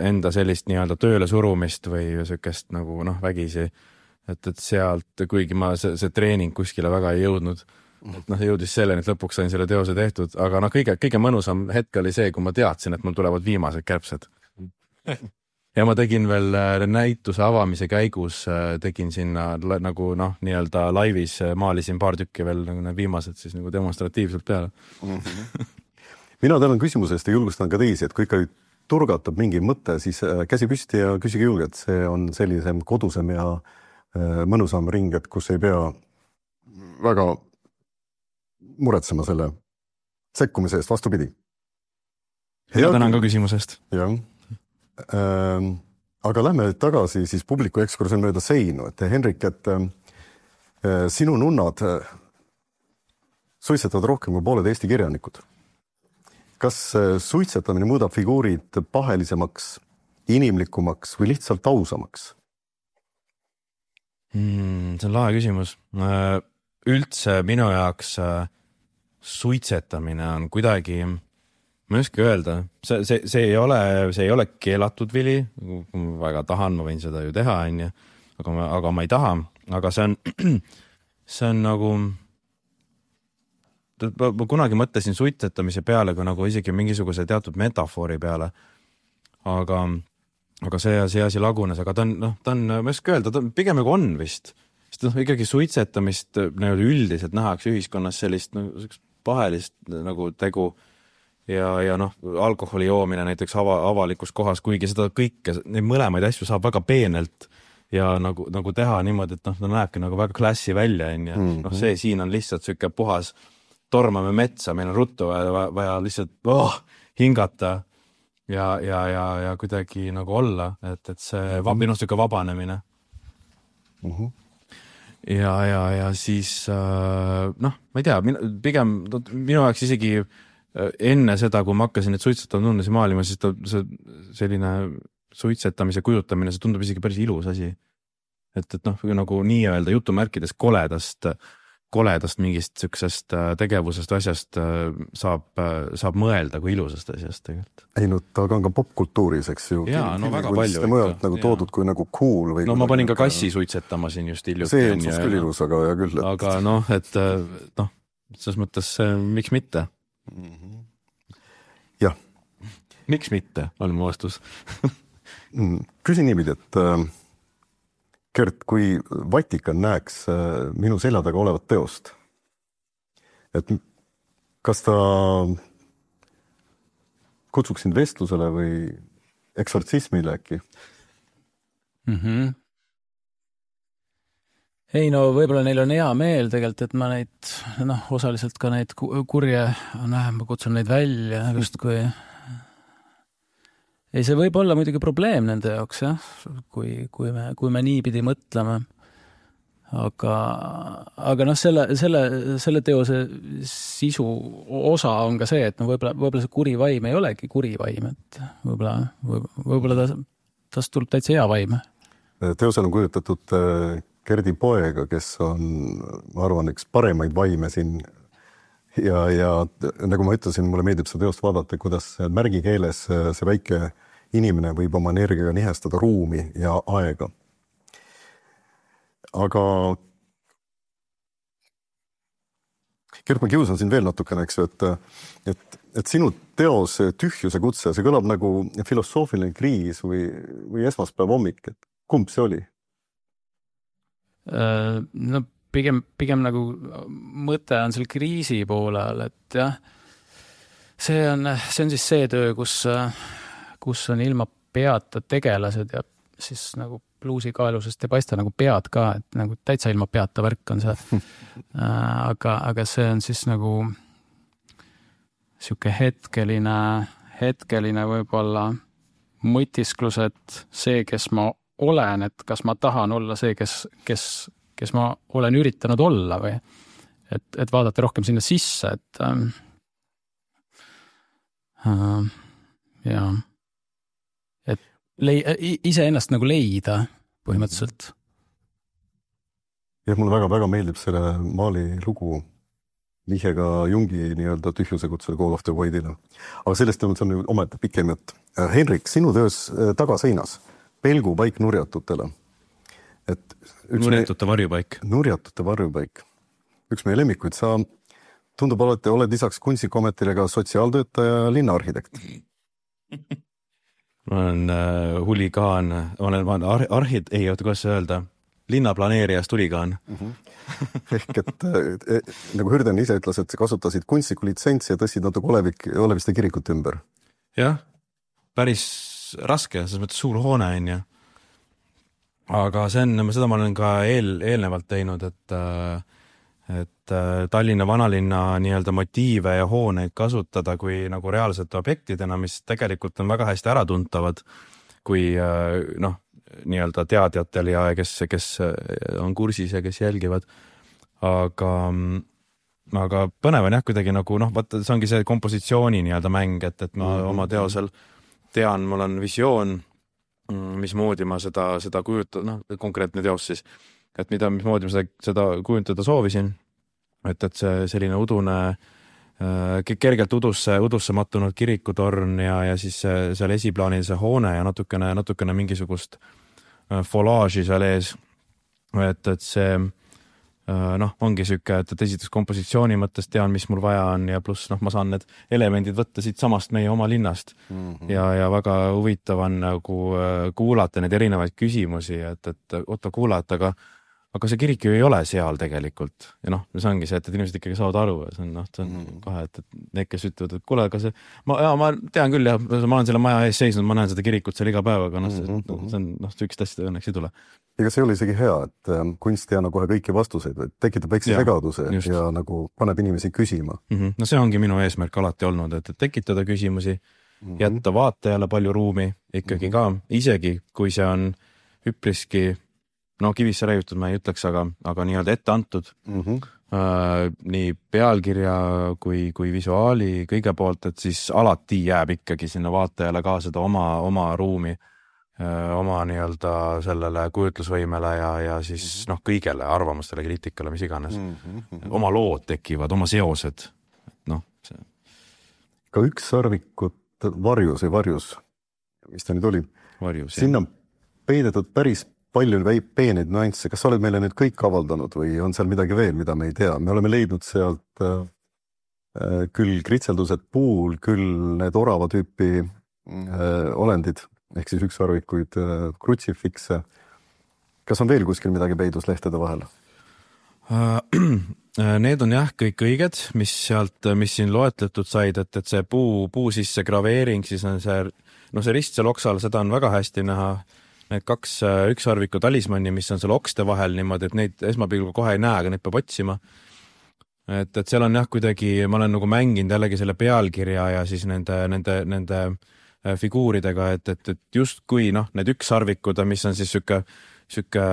enda sellist nii-öelda tööle surumist või sükest nagu noh, vägisi, et, et sealt, kuigi ma see, see treening kuskile väga ei jõudnud, et noh, jõudis selleni, et lõpuks sain selle teose tehtud, aga noh, kõige, kõige mõnusam hetk oli see, kui ma teadsin, et mul tulevad viimased kärbsed. Ja ma tegin veel näituse avamise käigus, tegin sinna nagu noh, nii-öelda laivis maalisin paar tükki veel nagu need viimased siis nagu demonstratiivselt peale. Mina tänan küsimuse eest ja julgustan ka teisi, et kui ikka turgatab mingi mõte, siis käsi püsti ja küsige julgelt. See on sellisem kodusem ja mõnusam ring, et kus ei pea väga muretsema selle sekkumise eest, vastupidi. Ja tänan ka küsimusest. Jah. Ähm, aga lähme tagasi siis publiku ekskursioon mööda seinu, et Henrik, et äh, sinu nunnad äh, suitsetavad rohkem kui pooled Eesti kirjanikud. Kas äh, suitsetamine muudab figuurid pahelisemaks, inimlikumaks või lihtsalt ausamaks? Hmm, see on lahe küsimus. Üldse minu jaoks suitsetamine on kuidagi, ma ei oska öelda, see, see, see, ei ole, see ei ole keelatud vili, kui ma väga tahan, ma võin seda ju teha, on ju, aga ma, aga ma ei taha, aga see on, see on nagu, ma kunagi mõtlesin suitsetamise peale, kui nagu isegi mingisuguse teatud metafoori peale, aga, aga see, see asi lagunes, aga ta on, noh, ta on, ma ei oska öelda, ta pigem nagu on vist, sest noh, ikkagi suitsetamist üldiselt nähakse ühiskonnas sellist nagu, pahelist nagu tegu ja, ja noh, alkoholi joomine näiteks ava, avalikus kohas, kuigi seda kõike, neid mõlemaid asju saab väga peenelt ja nagu, nagu teha niimoodi, et noh, ta näebki nagu väga klassi välja, on ja mm-hmm. noh, see siin on lihtsalt süke puhas, tormame metsa, meil on ruttu vaja, vaja lihtsalt oh, hingata ja, ja, ja, ja kuidagi nagu olla, et, et see mm-hmm. minu süke vabanemine. Mhm. Ja, ja, ja siis noh, ma ei tea, pigem minu jaoks isegi enne seda, kui ma hakkasin need suitsetavad nunnesid maalima, siis ta, see, selline suitsetamise kujutamine, see tundub isegi päris ilus asi. Et, et noh, nagu nii-öelda jutumärkides koledast, koledast mingist süksest tegevusest asjast saab, saab mõelda kui ilusast asjast tegelikult. Ei, no ta on ka popkultuuris, eks ju. Jaa, no väga palju. Mõjalt nagu toodud kui nagu cool. Või no ma panin ka kassi suitsetama siin just hiljuti. See on küll ilus, aga ja küll. Et... Aga noh, et noh, selles mõttes miks mitte? Jah. Miks mitte, on mu vastus. Küsin niimoodi, et Gert, kui Vatikan näeks minu selja taga olevat teost, et kas ta kutsuks sind vestlusele või eksortsismile äkki? Mm-hmm. Ei no võib-olla neil on hea meel tegelikult, et ma neid, noh, osaliselt ka neid kurje, näe, ma kutsun neid välja just kui ei, see võib olla muidugi probleem nende jaoks, jah, kui, kui me, kui me niipidi mõtleme. Aga, aga noh, selle, selle, selle teose sisu osa on ka see, et no võib-olla, võib-olla see kuri vaim ei olegi kuri vaim, et võib-olla, võib-olla ta, tast tuleb täitsa hea vaim. Teosel on kujutatud Gerdi poega, kes on, ma arvan, üks paremaid vaime siin ja, ja nagu ma ütlesin, mulle meeldib seda teost vaadata, kuidas märgikeeles see väike inimene võib oma energiaga nihestada ruumi ja aega. Aga Gert, ma kiusan siin veel natukene, eks ju, et, et, et sinu teos Tühjuse kutse, see kõlab nagu filosoofiline kriis või, või esmaspäev hommik, et kumb see oli? No pigem, pigem nagu mõte on seal kriisi poolel, et jah, see on, see on siis see töö, kus, kus on ilma peata tegelased ja siis nagu bluusikaelusest ei paista nagu pead ka, et nagu täitsa ilma peata värk on see. aga, aga see on siis nagu siuke hetkeline, hetkeline võib-olla mõtisklus, et see, kes ma olen, et kas ma tahan olla see, kes, kes, kes ma olen üritanud olla või et, et vaadata rohkem sinna sisse, et ähm, äh, ja et lei, ise ennast nagu leida põhimõtteliselt. Ja mulle väga-väga meeldib selle maali lugu vihjega Jungi nii-öelda tühjuse kutsele Call of the Voidile. Aga sellest on, see on ometi pikem jutt. Henrik, sinu töös tagaseinas, pelgupaik nurjatutele. Et nurjatute varjupaik. Nurjatute varjupaik. Üks meie lemmikuid, sa tundub alati, oled lisaks kunstikometile ka sotsiaaltöötaja ja linnaarhitekt. Ma olen äh, huligaan, olen, ma olen ar arhid, ei, oota, kuidas öelda, linnaplaneerijast huligaan. Mm-hmm. Ehk et äh, nagu Hürden ise ütles, et kasutasid kunstniku litsentsi ja tõstsid natuke Olevik, Oleviste kirikut ümber. Jah, päris raske, selles mõttes suur hoone on ja. Aga see on, seda ma olen ka eel, eelnevalt teinud, et äh, et Tallinna vanalinna nii-öelda motiive ja hooneid kasutada kui nagu reaalsete objektidena, mis tegelikult on väga hästi äratuntavad, kui noh, nii-öelda teadjatel ja kes, kes on kursis ja kes jälgivad. Aga, aga põnev on jah kuidagi nagu, noh, vaata, see ongi see kompositsiooni nii-öelda mäng, et, et ma mm-hmm. oma teosel tean, mul on visioon, mismoodi ma seda, seda kujutada, noh, konkreetne teos siis, et mida, mismoodi ma seda, seda kujuntada soovisin, et, et see selline udune, kergelt udusse, udusse mattunud kirikutorn ja, ja siis seal esiplaanil see hoone ja natukene, natukene mingisugust folaaži seal ees, et, et see noh, ongi süke, et, et esiteks kompositsiooni mõttes tean, mis mul vaja on ja pluss noh, ma saan need elemendid võtta siit samast meie oma linnast mm-hmm. ja, ja väga huvitav on nagu kuulata neid erinevaid küsimusi, et, et oota kuulata, aga aga see kirik ju ei ole seal tegelikult ja noh, see ongi see, et, et inimesed ikkagi saavad aru ja see on, noh, see on mm-hmm. kahe, et, et need, kes ütlevad, et kuule, aga see ma, ja, ma tean küll ja ma olen selle maja ees seisnud, ma näen seda kirikut seal iga päev, aga noh, see, mm-hmm. see on, noh, süükist asjade õnneks ei tule. Ega see oli isegi hea, et kunst ei anna kohe kõiki vastuseid, et tekitab väikse segaduse just. Ja nagu paneb inimesi küsima. Mm-hmm. No see ongi minu eesmärk alati olnud, et, et tekitada küsimusi, mm-hmm. jätta vaatajale palju ruumi ikkagi mm-hmm. ka, isegi kui see on üpriski no kivisse räägitud ma ei ütleks, aga, aga nii-öelda ette antud mm-hmm. äh, nii pealkirja kui, kui visuaali kõige poolt, et siis alati jääb ikkagi sinna vaatajale ka seda oma, oma ruumi, äh, oma nii-öelda sellele kujutlusvõimele ja, ja siis mm-hmm. noh, kõigele arvamustele, kriitikale, mis iganes. Mm-hmm. Oma lood tekivad, oma seosed. Noh, see. Ka üks sarvikut varjus või varjus, mis ta nüüd oli? Varjus, sinna on peidetud päris palju peeneid nüansse. Kas sa oled meile nüüd kõik avaldanud või on seal midagi veel, mida me ei tea? Me oleme leidnud sealt äh, küll kritseldused puul, küll need orava tüüpi äh, olendid, ehk siis üks arvikuid äh, krutsifikse. Kas on veel kuskil midagi peidus lehtede vahel? Need on jah kõik õiged, mis sealt, mis siin loetletud said, et, et see puu, puu sisse graveering, siis on see, no see rist seal oksal, seda on väga hästi näha. Need kaks üksarviku talismanni, mis on seal okste vahel niimoodi, et neid esmapilgu kohe ei näe, aga neid peab otsima. Et, et seal on jah kuidagi, ma olen nagu mänginud jällegi selle pealkirja ja siis nende, nende, nende figuuridega, et, et, et just kui noh, need ükssarvikud, mis on siis süke, süke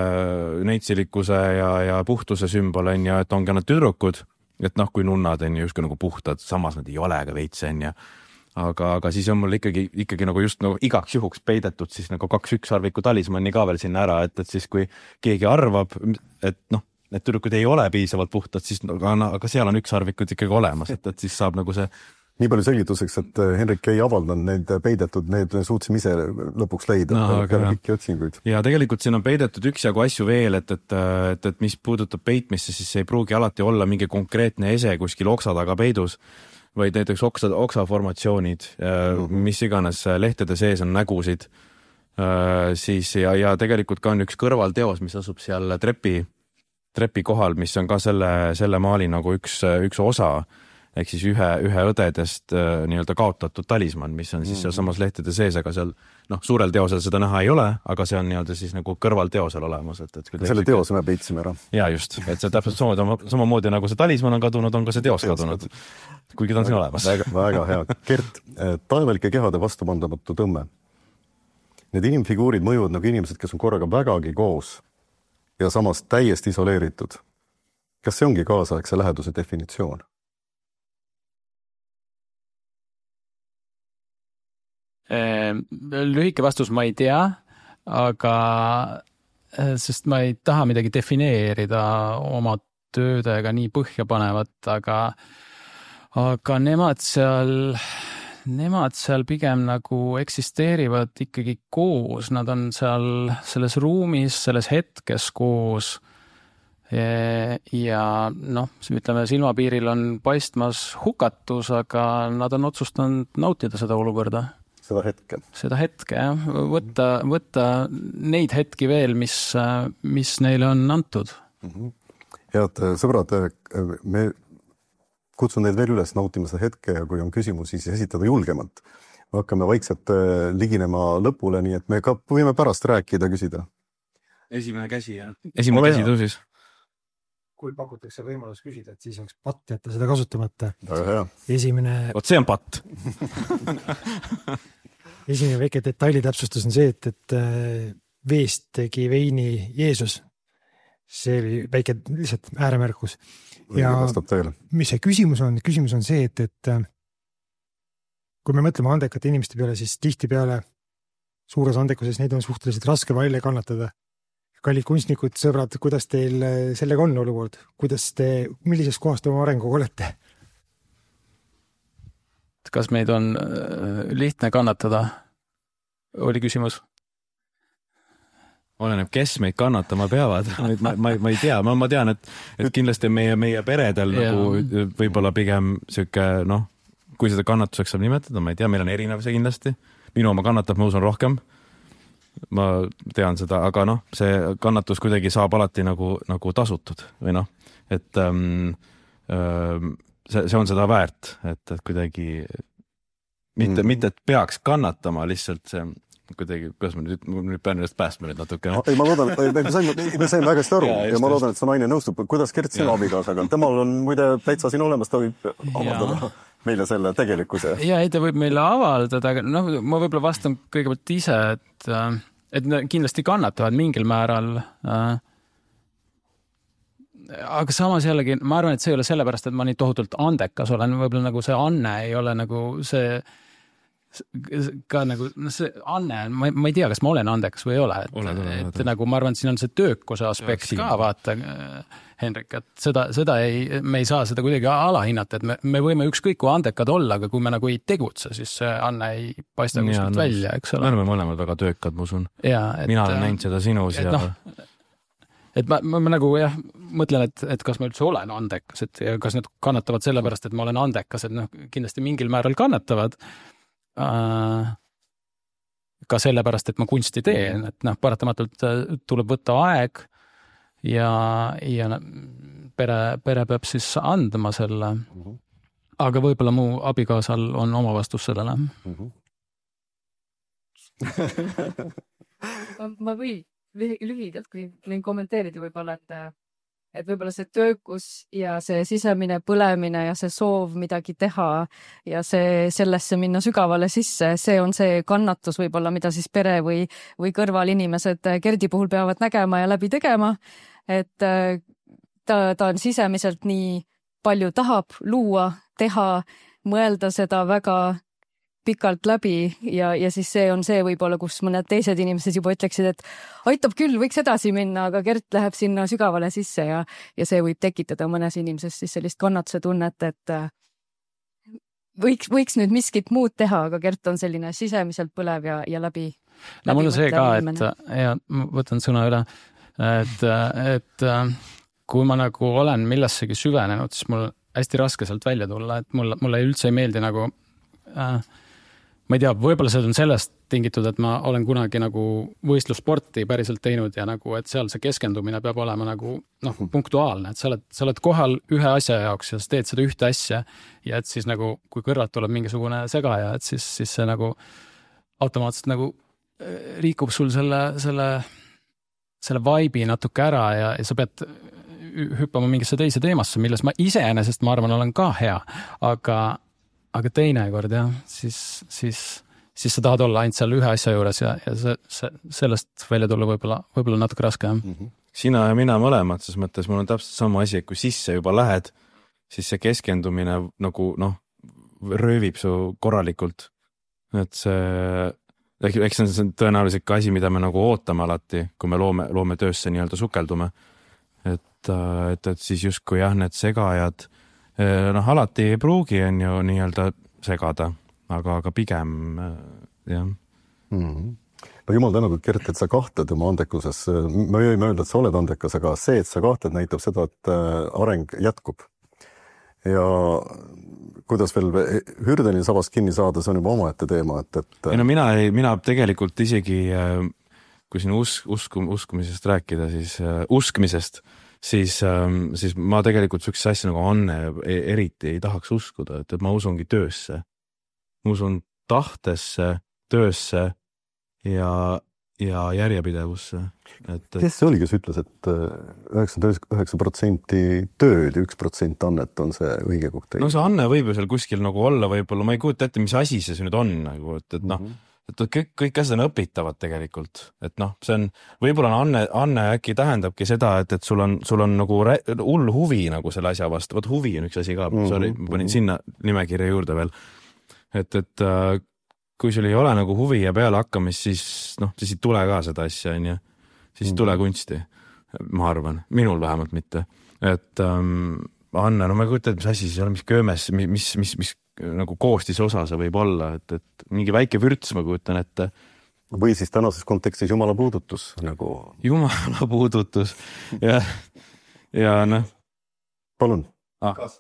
neitsilikkuse ja, ja puhtuse sümbol on ja et ongi nad tüdrukud, et noh, kui nunnad on ju justkui nagu puhtad, samas nad ei ole ka veits on ja aga, aga siis on mul ikkagi, ikkagi nagu just nagu igaks juhuks peidetud siis nagu kaks ükssarviku talismanni ka veel sinna ära, et, et siis kui keegi arvab, et noh, need tüdrukud ei ole piisavalt puhtad, siis aga, aga seal on ükssarvikud ikkagi olemas, et, et siis saab nagu see nii palju selgituseks, et Henrik ei avaldanud need peidetud, need suutsime ise lõpuks leida no, peale pikki otsinguid. Ja tegelikult siin on peidetud üksjagu asju veel, et, et, et, et mis puudutab peitmisse, siis ei pruugi alati olla mingi konkreetne ese kuskil oksa taga peidus, vaid näiteks oksa, oksaformatsioonid, mm-hmm. mis iganes lehtede sees on nägusid, siis ja, ja tegelikult ka on üks kõrvalteos, mis asub seal trepi, trepi kohal, mis on ka selle, selle maali nagu üks, üks osa, ehk siis ühe, ühe õdedest nii-öelda kaotatud talisman, mis on siis seal samas lehtede sees, aga seal noh, suurel teosel seda näha ei ole, aga see on nii-öelda siis nagu kõrvalteosel olemas. Et, et selle teose me peitsime ära. Ja just, et see täpselt samamoodi, samamoodi nagu see talisman on kadunud, on ka see teos kadunud, kuigi ta on siin olemas. Väga, väga hea. Gert, taevalike kehade vastupandamatu tõmme. Need inimfiguurid mõjuvad nagu inimesed, kes on korraga vägagi koos ja samas täiesti isoleeritud. Kas see ongi kaasaegse läheduse definitsioon? Lühike vastus ma ei tea, aga sest ma ei taha midagi defineerida oma töödega nii põhja panevat, aga, aga nemad seal, nemad seal pigem nagu eksisteerivad ikkagi koos, nad on seal selles ruumis, selles hetkes koos ja noh, ütleme, silmapiiril on paistmas hukatus, aga nad on otsustanud nautida seda olukorda. Seda hetke. Seda hetke, jah. Võtta, võtta neid hetki veel, mis, mis neile on antud. Mm-hmm. Head sõbrad, me kutsun neid veel üles nautima seda hetke ja kui on küsimusi, siis esitada julgemalt. Me hakkame vaikselt liginema lõpule, nii et me ka võime pärast rääkida, küsida. Esimene käsi, jah. Esimene käsi tõusis. Kui pakutakse võimalus küsida, et siis oleks patt jätta seda kasutamata. Väga hea. Esimene... Oot, see on patt. Esimene väike detaili täpsustus on see, et, et veest tegi veini Jeesus. See oli väike lihtsalt ääremärkus. Ja mis see küsimus on? Küsimus on see, et, et kui me mõtleme andekate inimeste peale, siis tihti peale suures andekuses neid on suhteliselt raske välja kannatada. Kallid kunstnikud, sõbrad, kuidas teil sellega on olukord? Kuidas te, millises kohas te oma arenguga olete? Kas meid on lihtne kannatada? Oli küsimus? Oleneb, kes meid kannatama peavad. Ma, ma, ma ei tea, ma, ma tean, et, et kindlasti meie, meie peredel ja. Nagu võib-olla pigem süke, noh, kui seda kannatuseks saab nimetada, ma ei tea, meil on erinev see kindlasti. Minu oma kannatab, ma usun rohkem. Ma tean seda, aga noh, see kannatus kuidagi saab alati nagu, nagu tasutud või noh, et ähm, ähm, see, see on seda väärt, et, et kuidagi mitte, mm. mitte, et peaks kannatama, lihtsalt see kuidagi, kuidas ma nüüd, nüüd pean ennast päästma nüüd natuke. No? Ei, ma loodan, me saime, me saime väga hästi aru ja, ja ma loodan, et see naine nõustub. Kuidas Gert sinu abikaasaga? Temal on muide täitsa siin olemas, ta võib avaldada meile selle tegelikkuse. Ja ei, ta võib meile avaldada, aga noh, ma võib-olla vastan kõigepealt ise, et, et kindlasti kannatavad mingil määral. Aga samas jällegi, ma arvan, et see ei ole sellepärast, et ma nii tohutult andekas olen, võib-olla nagu see anne ei ole nagu see ka nagu, no see Anne, ma, ma ei tea, kas ma olen andekas või ei ole, et, ole, ole, et ole. Nagu ma arvan, et siin on see töökuse aspekt ja, ka, vaata, Henrik, et seda, seda ei, me ei saa seda kuidagi alahinnata, et me, me võime ükskõik kui andekad olla, aga kui me nagu ei tegutse, siis see Anne ei paista kuskilt no, välja, eks ole. Me oleme mõlemad väga töökad, ma usun. Ja, et, mina olen näinud seda sinus et, ja... No, et ma, ma, ma nagu jah, mõtlen, et, et kas ma üldse olen andekas, et ja kas need kannatavad sellepärast, et ma olen andekas, et noh, kindlasti mingil määral kannatavad, ka sellepärast, et ma kunsti teen, et noh, paratamatult tuleb võtta aeg ja, ja pere, pere peab siis andma selle. Aga võib-olla mu abikaasal on oma vastus sellele. ma või lühidalt, kui kommenteerida võib-olla, et et võib-olla see töökus ja see sisemine põlemine ja see soov midagi teha ja see sellesse minna sügavale sisse, see on see kannatus võib-olla, mida siis pere või, või kõrval inimesed Gerdi puhul peavad nägema ja läbi tegema, et ta, ta on sisemiselt nii palju tahab luua, teha, mõelda seda väga pikalt läbi ja, ja siis see on see võib-olla, kus mõned teised inimesed juba ütleksid, et aitab küll, võiks edasi minna, aga Gert läheb sinna sügavale sisse ja, ja see võib tekitada mõnes inimeses siis sellist kannatuse tunnet, et võiks, võiks nüüd miskit muud teha, aga Gert on selline sisemiselt põlev ja, ja läbi. No mul on see ka, et ja ma võtan sõna üle, et, et kui ma nagu olen millessegi süvenenud, siis mul hästi raske sealt välja tulla, et mulle, mulle üldse ei meeldi nagu äh, ma ei tea, võib-olla see on sellest tingitud, et ma olen kunagi nagu võistlussporti päriselt teinud ja nagu, et seal see keskendumine peab olema nagu noh, punktuaalne, et sa oled, sa oled kohal ühe asja jaoks ja sa teed seda ühte asja ja et siis nagu, kui kõrvalt tuleb mingisugune segaja, et siis, siis see nagu automaatselt nagu liikub sul selle, selle, selle vibe'i natuke ära ja, ja sa pead hüppama mingisse teise teemasse, milles ma iseenesest, ma arvan, olen ka hea, aga aga teinekord jah, siis, siis, siis sa tahad olla ainult seal ühe asja juures ja, ja see, see, sellest välja tulla võib-olla, võib-olla natuke raske. Mm-hmm. Sina ja mina mõlemad, ses mõttes mul on täpselt sama asi, et kui sisse juba lähed, siis see keskendumine nagu noh, röövib su korralikult. Et see, eks see on tõenäoliselt ka asi, mida me nagu ootame alati, kui me loome, loome töösse nii-öelda sukeldume. Et, et, et siis justkui jah, need segajad noh, alati ei pruugi on ju nii-öelda segada, aga, aga pigem jah. Mm-hmm. No jumal tänatud, Gert, et sa kahtled oma andekuses. Ma ei öelda, et sa oled andekas, aga see, et sa kahtled, näitab seda, et areng jätkub. Ja kuidas veel Hürdenil sabast kinni saada, see on juba omaette teema. Et, et... Ei, no mina, ei, mina tegelikult isegi, kui siin usk, usku, uskumisest rääkida, siis uh, uskmisest, Siis, siis ma tegelikult sükse asja nagu Anne eriti ei tahaks uskuda, et, et ma usungi töösse. Ma usun tahtesse, töösse ja, ja järjepidevusse. Et, et... Kes see oli, kes ütles, et üheksakümmend üheksa protsenti tööd ja üks protsent annet on see õige kokteil? No see Anne võib ju seal kuskil nagu olla, võib-olla ma ei kujuta ette, mis asi see nüüd on, nagu, et, et noh, mm-hmm. et kõik, kõik asjad on õpitavad tegelikult, et noh, see on, võib-olla Anne, Anne äkki tähendabki seda, et, et sul on, sul on nagu hull huvi nagu selle asja vastu, võt huvi on üks asi ka, mm-hmm. sorry, ma panin sinna nimekirja juurde veel, et, et äh, kui sul ei ole nagu huvi ja peale hakkamist, siis noh, siis ei tule ka seda asja, on ju, siis ei mm-hmm. tule kunsti, ma arvan, minul vähemalt mitte, et ähm, Anne, no ma ei kujuta, et mis asi siis on, mis köömes, mis, mis, mis, mis nagu koostis osa see võib olla, et, et mingi väike vürts ma kujutan ette. Või siis tänases kontekstis jumala puudutus nagu. Jumala puudutus ja, ja noh. Palun. Ah. Kas,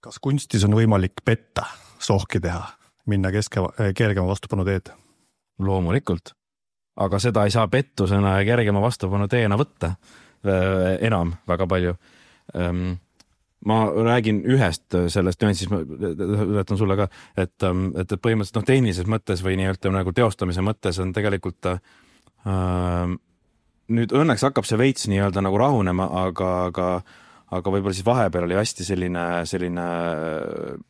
kas kunstis on võimalik petta, sohki teha, minna keske, kergema vastupanu teed? Loomulikult, aga seda ei saa pettusena ja kergema vastupanu teena võtta enam väga palju. Um, ma räägin ühest sellest nüansist, ma ületan sulle ka, et, et põhimõtteliselt noh, tehnilises mõttes või nii-öelda nagu teostamise mõttes on tegelikult äh, nüüd õnneks hakkab see veits nii-öelda nagu rahunema, aga, aga, aga võib-olla siis vahepeal oli hästi selline, selline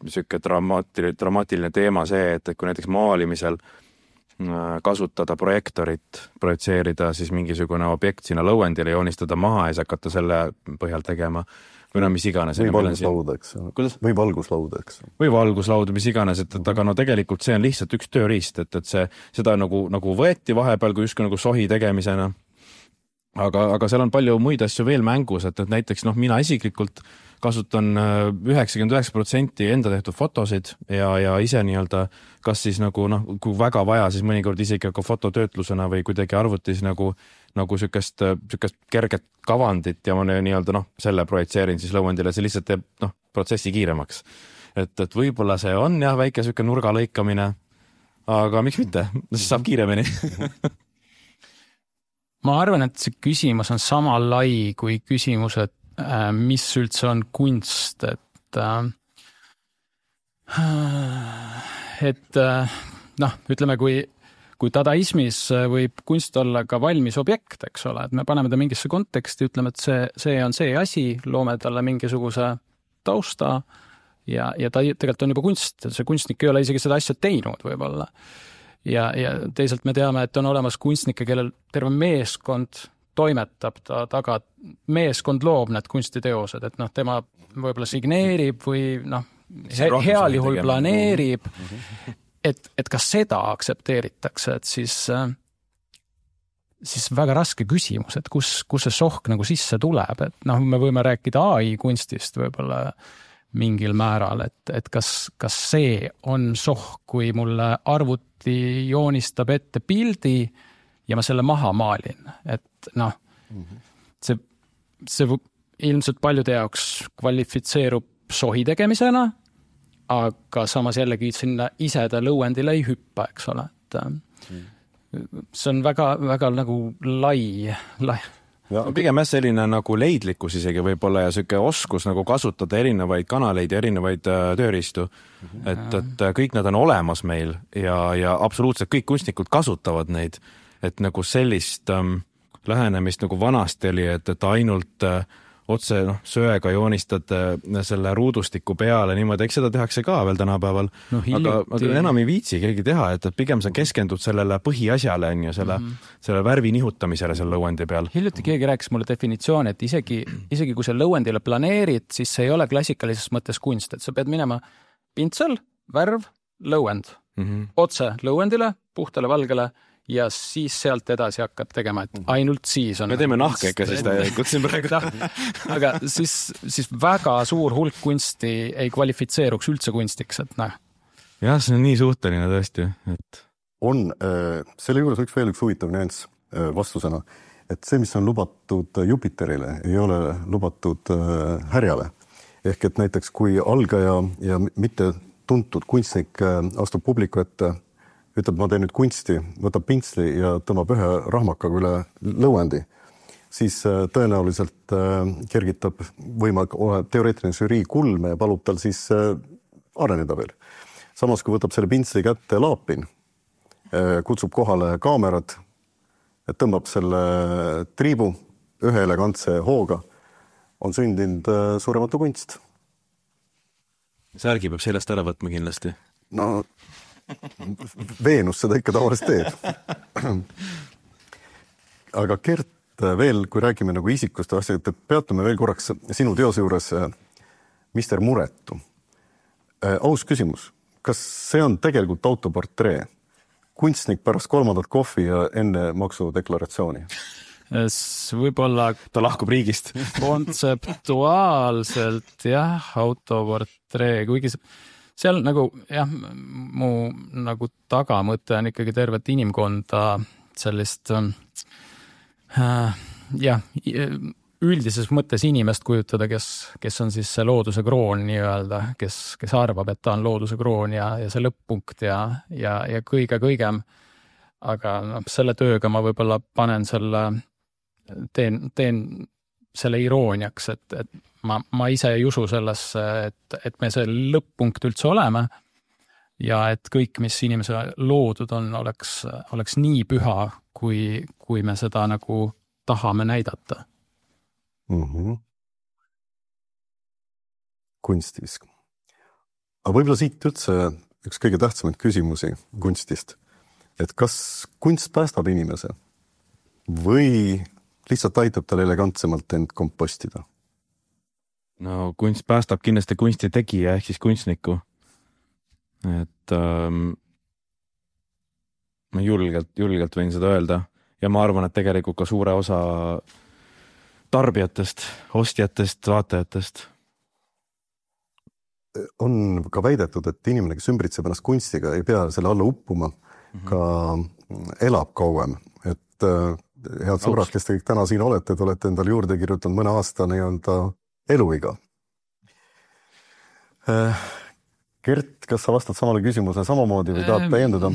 siuke dramaatiline, dramaatiline teema see, et kui näiteks maalimisel kasutada projektorit, projitseerida siis mingisugune objekt sinna lõuendile, joonistada maha ja siis hakata selle põhjal tegema või no mis iganes. Või valguslauda, eks. Või valguslauda, eks. Või valguslauda, mis iganes, et, et aga no tegelikult see on lihtsalt üks tööriist, et, et see, seda nagu, nagu võeti vahepeal kui justkui nagu sohi tegemisena. Aga, aga seal on palju muid asju veel mängus, et, et näiteks noh, mina isiklikult kasutan üheksakümmend üheksa protsenti enda tehtud fotosid ja, ja ise nii-öelda, kas siis nagu noh, kui väga vaja, siis mõnikord isegi ka fototöötlusena või kuidagi arvutis nagu, nagu sükest, sükest kerget kavandit ja ma nii-öelda noh, selle projitseerin siis lõuendile, see lihtsalt teeb noh, protsessi kiiremaks. Et, et võib-olla see on jah, väike süke nurga lõikamine, aga miks mitte, siis saab kiiremini. Ma arvan, et see küsimus on sama lai kui küsimus, et mis üldse on kunst, et et noh, ütleme, kui, kui dadaismis võib kunst olla ka valmis objekt, eks ole, et me paneme ta mingisse konteksti, ütleme, et see, see on see asi, loome talle mingisuguse tausta ja, ja ta tegelikult on juba kunst, see kunstnik ei ole isegi seda asja teinud võib-olla. Ja, ja teisalt me teame, et on olemas kunstnikke, kellel terve meeskond toimetab ta taga, meeskond loob need kunstiteosed, et noh, tema võib-olla signeerib või noh, he, heal juhul planeerib, et, et kas seda aktsepteeritakse, et siis, siis väga raske küsimus, et kus, kus see sohk nagu sisse tuleb, et noh, me võime rääkida A I kunstist võib-olla mingil määral, et, et kas, kas see on sohk, kui mulle arvuti joonistab ette pildi ja ma selle maha maalin, et noh, see, see ilmselt paljude jaoks kvalifitseerub sohi tegemisena, aga samas jällegi sinna ise ta lõuendile ei hüppa, eks ole, et see on väga, väga nagu lai, lai. Ja, pigem jah selline nagu leidlikkus isegi võib-olla ja selline oskus nagu kasutada erinevaid kanaleid ja erinevaid tööriistu, et, et kõik nad on olemas meil ja, ja absoluutselt kõik kunstnikud kasutavad neid, et nagu sellist ähm, lähenemist nagu vanasti oli, et, et ainult äh, otse noh, söega joonistad äh, selle ruudustiku peale niimoodi, eks seda tehakse ka veel tänapäeval, no, aga, aga enam ei viitsi keegi teha, et, et pigem sa keskendud sellele põhiasjale on ju, selle, mm -hmm. selle värvi nihutamisele selle lõuendi peal. Hiljuti keegi rääkis mulle definitsiooni, et isegi, isegi kui sa lõuendile planeerid, siis see ei ole klassikalises mõttes kunst, et sa pead minema pintsel, värv, lõuend, mm -hmm. otse lõuendile, puhtale valgele ja siis sealt edasi hakkad tegema, et ainult siis on... Me teeme nahka ikka siis täielikult siin praegu. Aga siis, siis väga suur hulk kunsti ei kvalifitseeruks üldse kunstiks, et noh. Jah, see on nii suhteline tõesti. Et... On, selle juures üks veel üks huvitav nüanss vastusena, et see, mis on lubatud Jupiterile, ei ole lubatud härjale. Ehk et näiteks kui algaja ja mitte tuntud kunstnik astub publiku ette, ütleb, ma teen nüüd kunsti, võtab pintsli ja tõmbab ühe rahmakaga üle lõuendi, siis tõenäoliselt kergitab võima teoreetiline žürii kulme ja palub tal siis areneda veel. Samas, kui võtab selle pintsli kätte laapin, kutsub kohale kaamerad, tõmbab selle triibu ühe elegantse hooga, on sündinud suurematu kunst. Särgi peab sellest ära võtma kindlasti. No... Veenus seda ikka tavaliselt teeb. Aga Gert, veel, kui räägime nagu isikust asjad, et peatume veel korraks sinu teose juures mister Muretu. Aus küsimus, kas see on tegelikult autoportree? Kunstnik pärast kolmandat kohvi ja enne maksudeklaratsiooni? Võib-olla ta lahkub riigist. Kontseptuaalselt jah, autoportree, kuigi see seal nagu, jah, mu nagu tagamõte on ikkagi tervet inimkonda sellist äh, jah, üldises mõttes inimest kujutada, kes, kes on siis see looduse kroon nii-öelda, kes, kes arvab, et ta on looduse kroon ja, ja see lõpp-punkt ja, ja, ja kõige-kõigem. Aga no, selle tööga ma võib-olla panen selle, teen, teen selle irooniaks, et, et ma, ma ise ei usu sellesse, et, et me see lõpp-punkt üldse oleme ja et kõik, mis inimese loodud on, oleks, oleks nii püha, kui, kui me seda nagu tahame näidata. Mm-hmm. Kunstis. Aga võib-olla siit üldse üks kõige tähtsamaid küsimusi kunstist, et kas kunst päästab inimese või lihtsalt aitab tal elegantsemalt end kompostida? No kunst päästab kindlasti kunsti tegija ehk siis kunstniku. Et ähm, ma julgelt, julgelt võin seda öelda ja ma arvan, et tegelikult ka suure osa tarbijatest, ostjatest, vaatajatest. On ka väidetud, et inimene, kes ümbritseb ennast kunstiga, ei pea selle alla uppuma, mm-hmm. ka elab kauem. Et head sõbrad, kes te kõik täna siin olete, te olete endal juurde kirjutanud mõne aasta nii-öelda eluiga. Gert, kas sa vastad samale küsimuse samamoodi või tahad täiendada?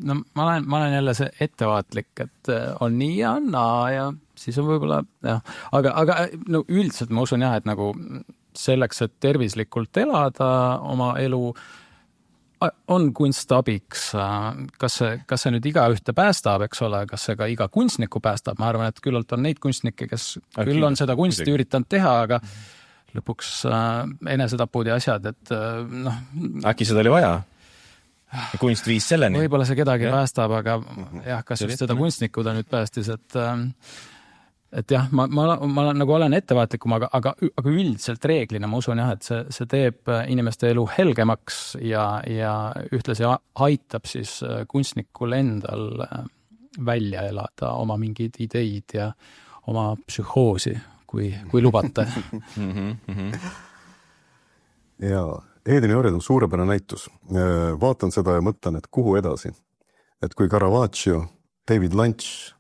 No ma olen, ma olen jälle see ettevaatlik, et on nii ja naa ja siis on võib-olla, jah. Aga, aga no, üldiselt ma usun jah, et nagu selleks, et tervislikult elada oma elu, on kunst abiks, kas see, kas see nüüd iga ühte päästab, eks ole, kas see ka iga kunstniku päästab, ma arvan, et küllalt on neid kunstnikke, kes Äkki, küll on seda kunsti midagi. üritanud teha, aga lõpuks enesetapud ja asjad, et noh. Äkki seda oli vaja? Kunst viis selleni? Võib-olla see kedagi ja. päästab, aga jah, kas just seda kunstnikku ta nüüd päästis, et et jah, ma, ma, ma nagu olen ettevaatlikum, aga, aga, aga üldiselt reeglina ma usun jah, et see, see teeb inimeste elu helgemaks ja, ja ühtlasi aitab siis kunstnikul endal välja elada oma mingid ideid ja oma psühhoosi, kui, kui lubate. ja Edeni orjad on suurepärane näitus. Vaatan seda ja mõtlen, et kuhu edasi. Et kui Caravaggio, David Lynch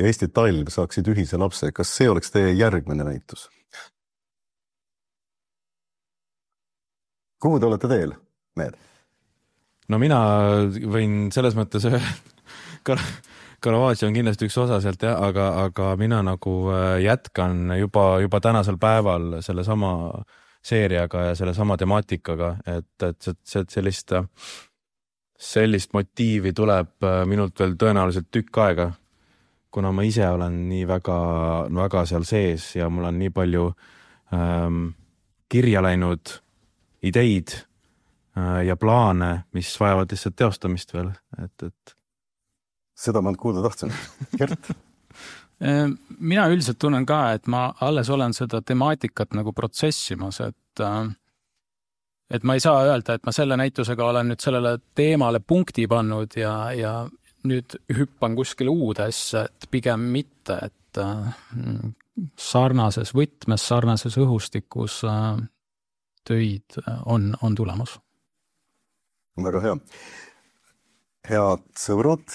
ja Eesti Talv saaksid ühise lapse, kas see oleks teie järgmine näitus? Kuhu te olete teel, Meed? No mina võin selles mõttes Caravaggio on kindlasti üks osa sealt, ja, aga, aga mina nagu jätkan juba, juba tänasel päeval selle sama seeriaga ja selle sama temaatikaga, et, et, et sellist, sellist motiivi tuleb minult veel tõenäoliselt tükk aega, kuna ma ise olen nii väga, väga seal sees ja mul on nii palju ähm, kirja läinud ideid äh, ja plaane, mis vajavad lihtsalt teostamist veel. Et, et... Seda ma kuulda tahtsin. Gert? Mina üldiselt tunnen ka, et ma alles olen seda temaatikat nagu protsessimas, et, et ma ei saa öelda, et ma selle näitusega olen nüüd sellele teemale punkti pannud ja, ja nüüd hüppan kuskile uudesse, et pigem mitte, et sarnases võtmes, sarnases õhustikus töid on, on tulemus. Väga hea. Head sõbrad,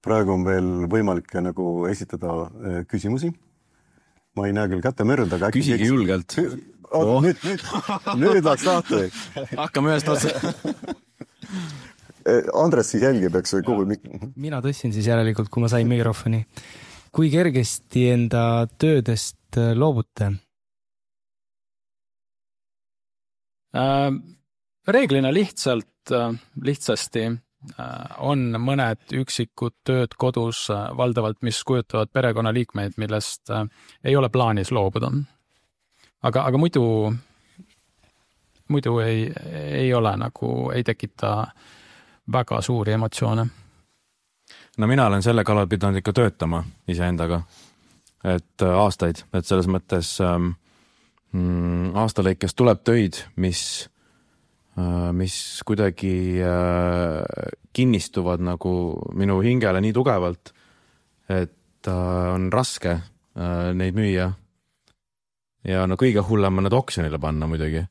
praegu on veel võimalik nagu esitada küsimusi. Ma ei näe küll kätte mörd, aga Küsigi äkki... julgelt. Oh, oh. Nüüd, nüüd, nüüd läks lahti. Hakkame ühest otsa. Andres siis jälgib, eks või kuhu? Mina tõstsin siis järelikult, kui ma sain mikrofoni. Kui kergesti enda töödest loobute? Äh, reeglina lihtsalt, lihtsasti on mõned üksikud tööd kodus valdavalt, mis kujutavad perekonnaliikmeid, millest ei ole plaanis loobuda. Aga, aga muidu, muidu ei, ei ole nagu, ei tekita väga suuri emotsioone. No mina olen selle kallal pidanud ikka töötama iseendaga, et aastaid, et selles mõttes ähm, aastalõikes tuleb töid, mis, äh, mis kuidagi äh, kinnistuvad nagu minu hingele nii tugevalt, et äh, on raske äh, neid müüa ja no kõige hullem on need oksjonile panna muidugi,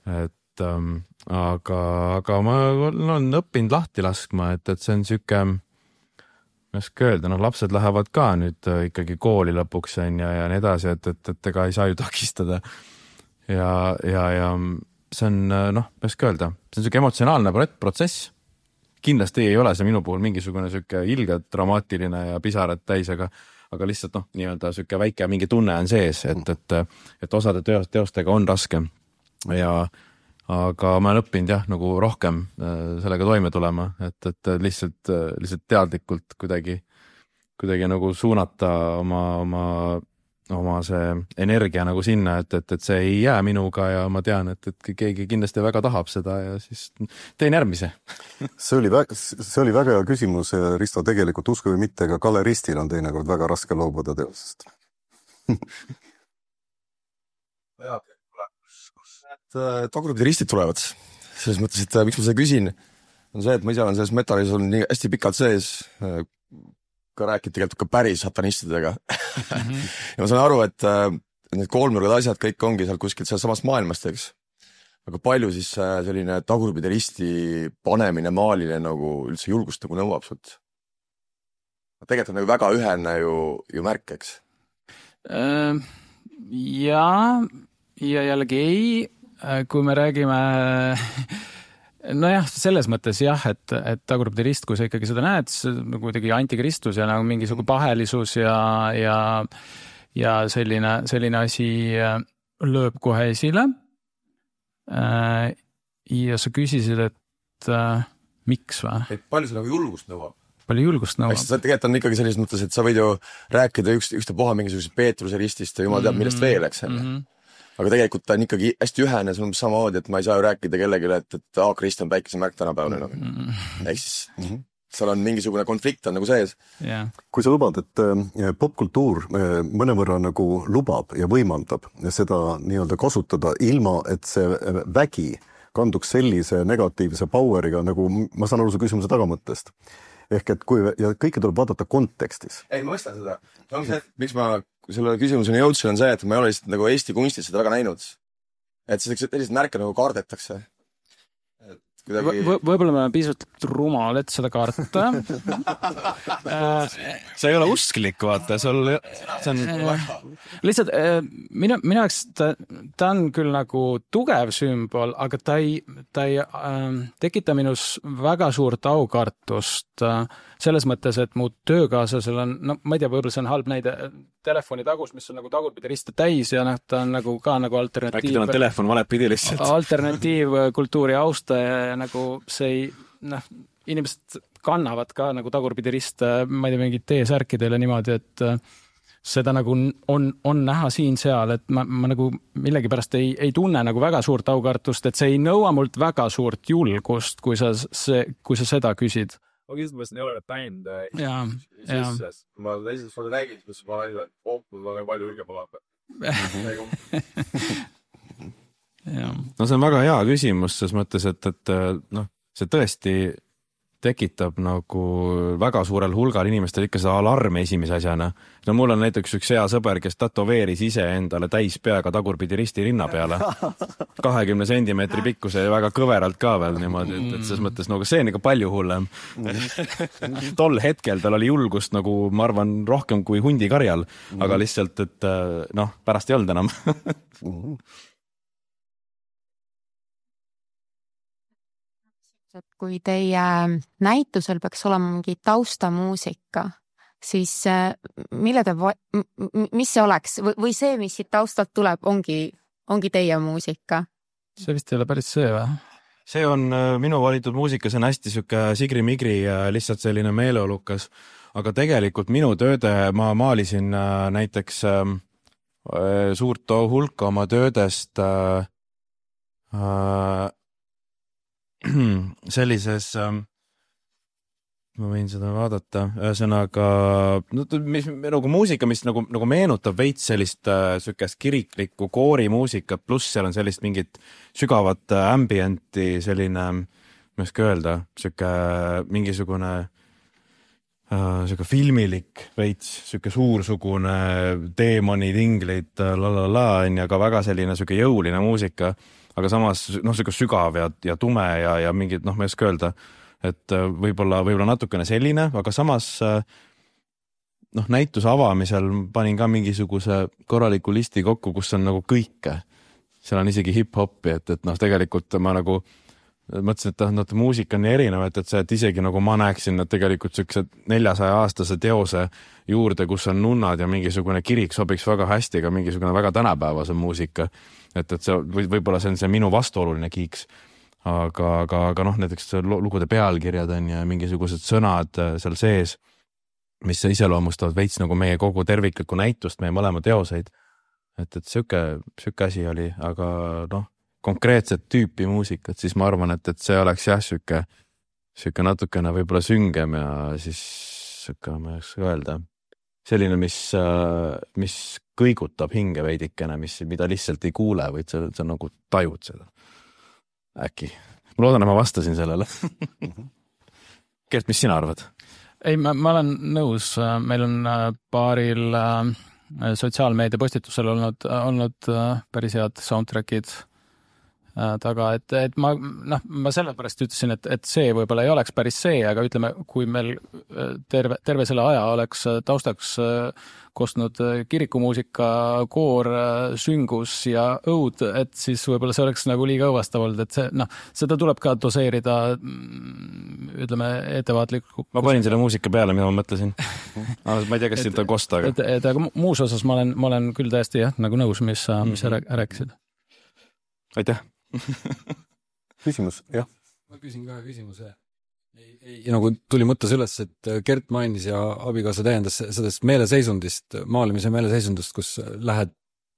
et ähm, aga, aga ma olen õppinud lahti laskma, et, et see on süke, ma ei oska öelda, noh, lapsed lähevad ka nüüd ikkagi kooli lõpuks ja, ja nii edasi, et, et, et ega ei saa ju takistada. Ja, ja, ja see on, noh, ma ei oska öelda, see on süke emotsionaalne protsess. Kindlasti ei ole see minu puhul mingisugune süke ilgelt dramaatiline ja pisarad täis, aga, aga lihtsalt, noh, nii-öelda süke väike mingi tunne on sees, et, et, et osade teostega on raske ja aga ma olen õppinud jah, nagu rohkem sellega toime tulema, et, et lihtsalt, lihtsalt teadlikult kuidagi, kuidagi nagu suunata oma, oma, oma see energia nagu sinna, et, et, et see ei jää minuga ja ma tean, et, et keegi kindlasti väga tahab seda ja siis teen järgmise. See oli väga, see oli väga hea küsimus, Risto, tegelikult usku või mitte, aga galeristil on teinekord väga raske loobuda teosest. Jaa, tagurpidi ristid tulevad. Selles mõttes, et miks ma seda küsin, on see, et ma ise olen selles metalis olnud nii hästi pikalt sees, ka rääkid tegelikult ka päris satanistidega. Mm-hmm. ja ma saan aru, et need kolmnurgad asjad kõik ongi seal kuskilt seal samast maailmast, eks. Aga palju siis selline tagurpidi risti panemine maalile nagu üldse julgust nagu nõuab sult? Tegelikult on nagu väga ühene ju, ju märk, eks? Ja, ja jällegi ei. Kui me räägime, nojah, selles mõttes jah, et, et tagurpidi rist, kui sa ikkagi seda näed, nagu kuidagi antikristus ja nagu mingisugune pahelisus ja, ja, ja selline, selline asi lööb kohe esile. Ja sa küsisid, et äh, miks või? Et palju see nagu julgust nõuab? Palju julgust nõuab? Eks tegelikult on ikkagi sellises mõttes, et sa võid ju rääkida üks, ükstapuha mingisugusest Peetruse ristist ja jumal teab, millest veel, eks mm. -hmm. aga tegelikult ta on ikkagi hästi ühene, see on samamoodi, et ma ei saa ju rääkida kellelegi, et, et A-krist on päikesemärk tänapäevane nagu. mm -hmm. Ehk siis mm -hmm. seal on mingisugune konflikt on nagu sees. Yeah. Kui sa lubad, et popkultuur mõnevõrra nagu lubab ja võimaldab seda nii-öelda kasutada ilma, et see vägi kanduks sellise negatiivse poweriga, nagu ma saan aru su küsimuse tagamõttest. Ehk et kui, ja kõike tuleb vaadata kontekstis. Ei, ma mõistan seda. See on see, miks ma selle küsimuseni jõudsin, on see, et ma ei ole lihtsalt nagu Eesti kunstis seda väga näinud. Et sellised märke nagu kaardetakse. Kuidagi... V võib-olla me oleme piisavalt rumal, et seda karta. See ei ole usklik, vaata, sul see on... Lihtsalt minu, minu jaoks ta, ta on küll nagu tugev sümbol, aga ta ei, ta ei äh, tekita minus väga suurt aukartust äh, selles mõttes, et mu töökaaslasel on, no ma ei tea, võib-olla see on halb näide, telefoni tagus, mis on nagu tagurpidi riste täis ja noh, ta on nagu ka nagu alternatiiv. Äkki tal on telefon valepidi lihtsalt. Alternatiivkultuuri austaja ja nagu see ei, noh, inimesed kannavad ka nagu tagurpidi riste, ma ei tea, mingid T-särkidele niimoodi, et seda nagu on, on näha siin-seal, et ma, ma nagu millegipärast ei, ei tunne nagu väga suurt aukartust, et see ei nõua mult väga suurt julgust, kui sa, see, kui sa seda küsid. Ma kindlasti ei ole näinud ja, sisses. Ma esimest korda nägin, siis ma nägin, et oh, mul on palju ülge pala. No see on väga hea küsimus, ses mõttes, et, et noh, see tõesti tekitab nagu väga suurel hulgal inimestel ikka seda alarmi esimese asjana. No mul on näiteks üks hea sõber, kes tatoveeris ise endale täis peaga tagurpidi risti rinna peale. kahekümne sentimeetri pikkuse ja väga kõveralt ka veel niimoodi, et, et ses mõttes nagu see on ikka palju hullem. Tol hetkel tal oli julgust nagu, ma arvan, rohkem kui hundikarjal, aga lihtsalt, et noh, pärast ei olnud enam. Et kui teie näitusel peaks olema mingi taustamuusika, siis mille te, mis see oleks? Või see, mis siit taustalt tuleb, ongi, ongi teie muusika? See vist ei ole päris see või? See on minu valitud muusika, see on hästi süke sigri-migri ja lihtsalt selline meeleolukas. Aga tegelikult minu tööde ma maalisin näiteks suurt hulka oma töödest sellises, ma võin seda vaadata, ühesõnaga no, mis, nagu muusika, mis nagu, nagu meenutab veits sellist äh, sükest kiriklikku koorimuusikat, pluss seal on sellist mingit sügavat äh, ambienti, selline, ma ei oska öelda, süke mingisugune äh, süke filmilik veits, süke suursugune teemoni tinglid, lalala, on ja ka väga selline süke jõuline muusika, aga samas noh, see sügav ja, ja tume ja, ja mingid, noh, ma ei oska öelda, et võib-olla, võib-olla natukene selline, aga samas noh, näituse avamisel panin ka mingisuguse korraliku listi kokku, kus on nagu kõike. Seal on isegi hip-hopi, et, et noh, tegelikult ma nagu mõtlesin, et noh, muusika on nii erinev, et, et see, et isegi nagu ma näeksin, et tegelikult sellised neljasaja aastase teose juurde, kus on nunnad ja mingisugune kirik sobiks väga hästi, ka mingisugune väga tänapäevase muusika. Et, et see või, võib-olla see on see minu vastuoluline kiiks, aga, aga, aga noh, näiteks lugude pealkirjad on ja mingisugused sõnad seal sees, mis iseloomustavad veits nagu meie kogu terviklikku näitust, meie mõlema teoseid. Et, et süke, süke asi oli, aga noh, konkreetset tüüpi muusikat, siis ma arvan, et, et see oleks jah, süke, süke natukene võib-olla süngem ja siis süke, ma ei oska öelda, selline, mis, mis kõigutab hinge veidikene, mis, mida lihtsalt ei kuule, vaid sa, sa nagu tajud seda. Äkki. Ma loodan, et ma vastasin sellele. Kert, mis sina arvad? Ei, ma, ma olen nõus. Meil on paaril sotsiaalmeedia postitusel olnud, olnud päris head soundtrackid taga, et, et ma, noh, ma sellepärast ütlesin, et, et see võib-olla ei oleks päris see, aga ütleme, kui meil terve, terve selle aja oleks taustaks kostnud kirikumuusika, koor, süngus ja õud, et siis võib-olla see oleks nagu liiga õvastav olnud, et see, noh, seda tuleb ka doseerida, ütleme, ettevaatlikult. Ma panin selle muusika peale, mida ma mõtlesin. Ma ei tea, kas siit on kosta, aga... Et, et, aga muus osas ma olen, ma olen küll täiesti jah, nagu nõus, mis sa, mis sa rääkisid. Aitäh! Küsimus, jah. ma küsin kahe küsimuse. Ei, ei, nagu tuli mõttes üles, et Gert mainis ja abikaasa täiendas sellest meeleseisundist, maalimise meeleseisundist, kus lähed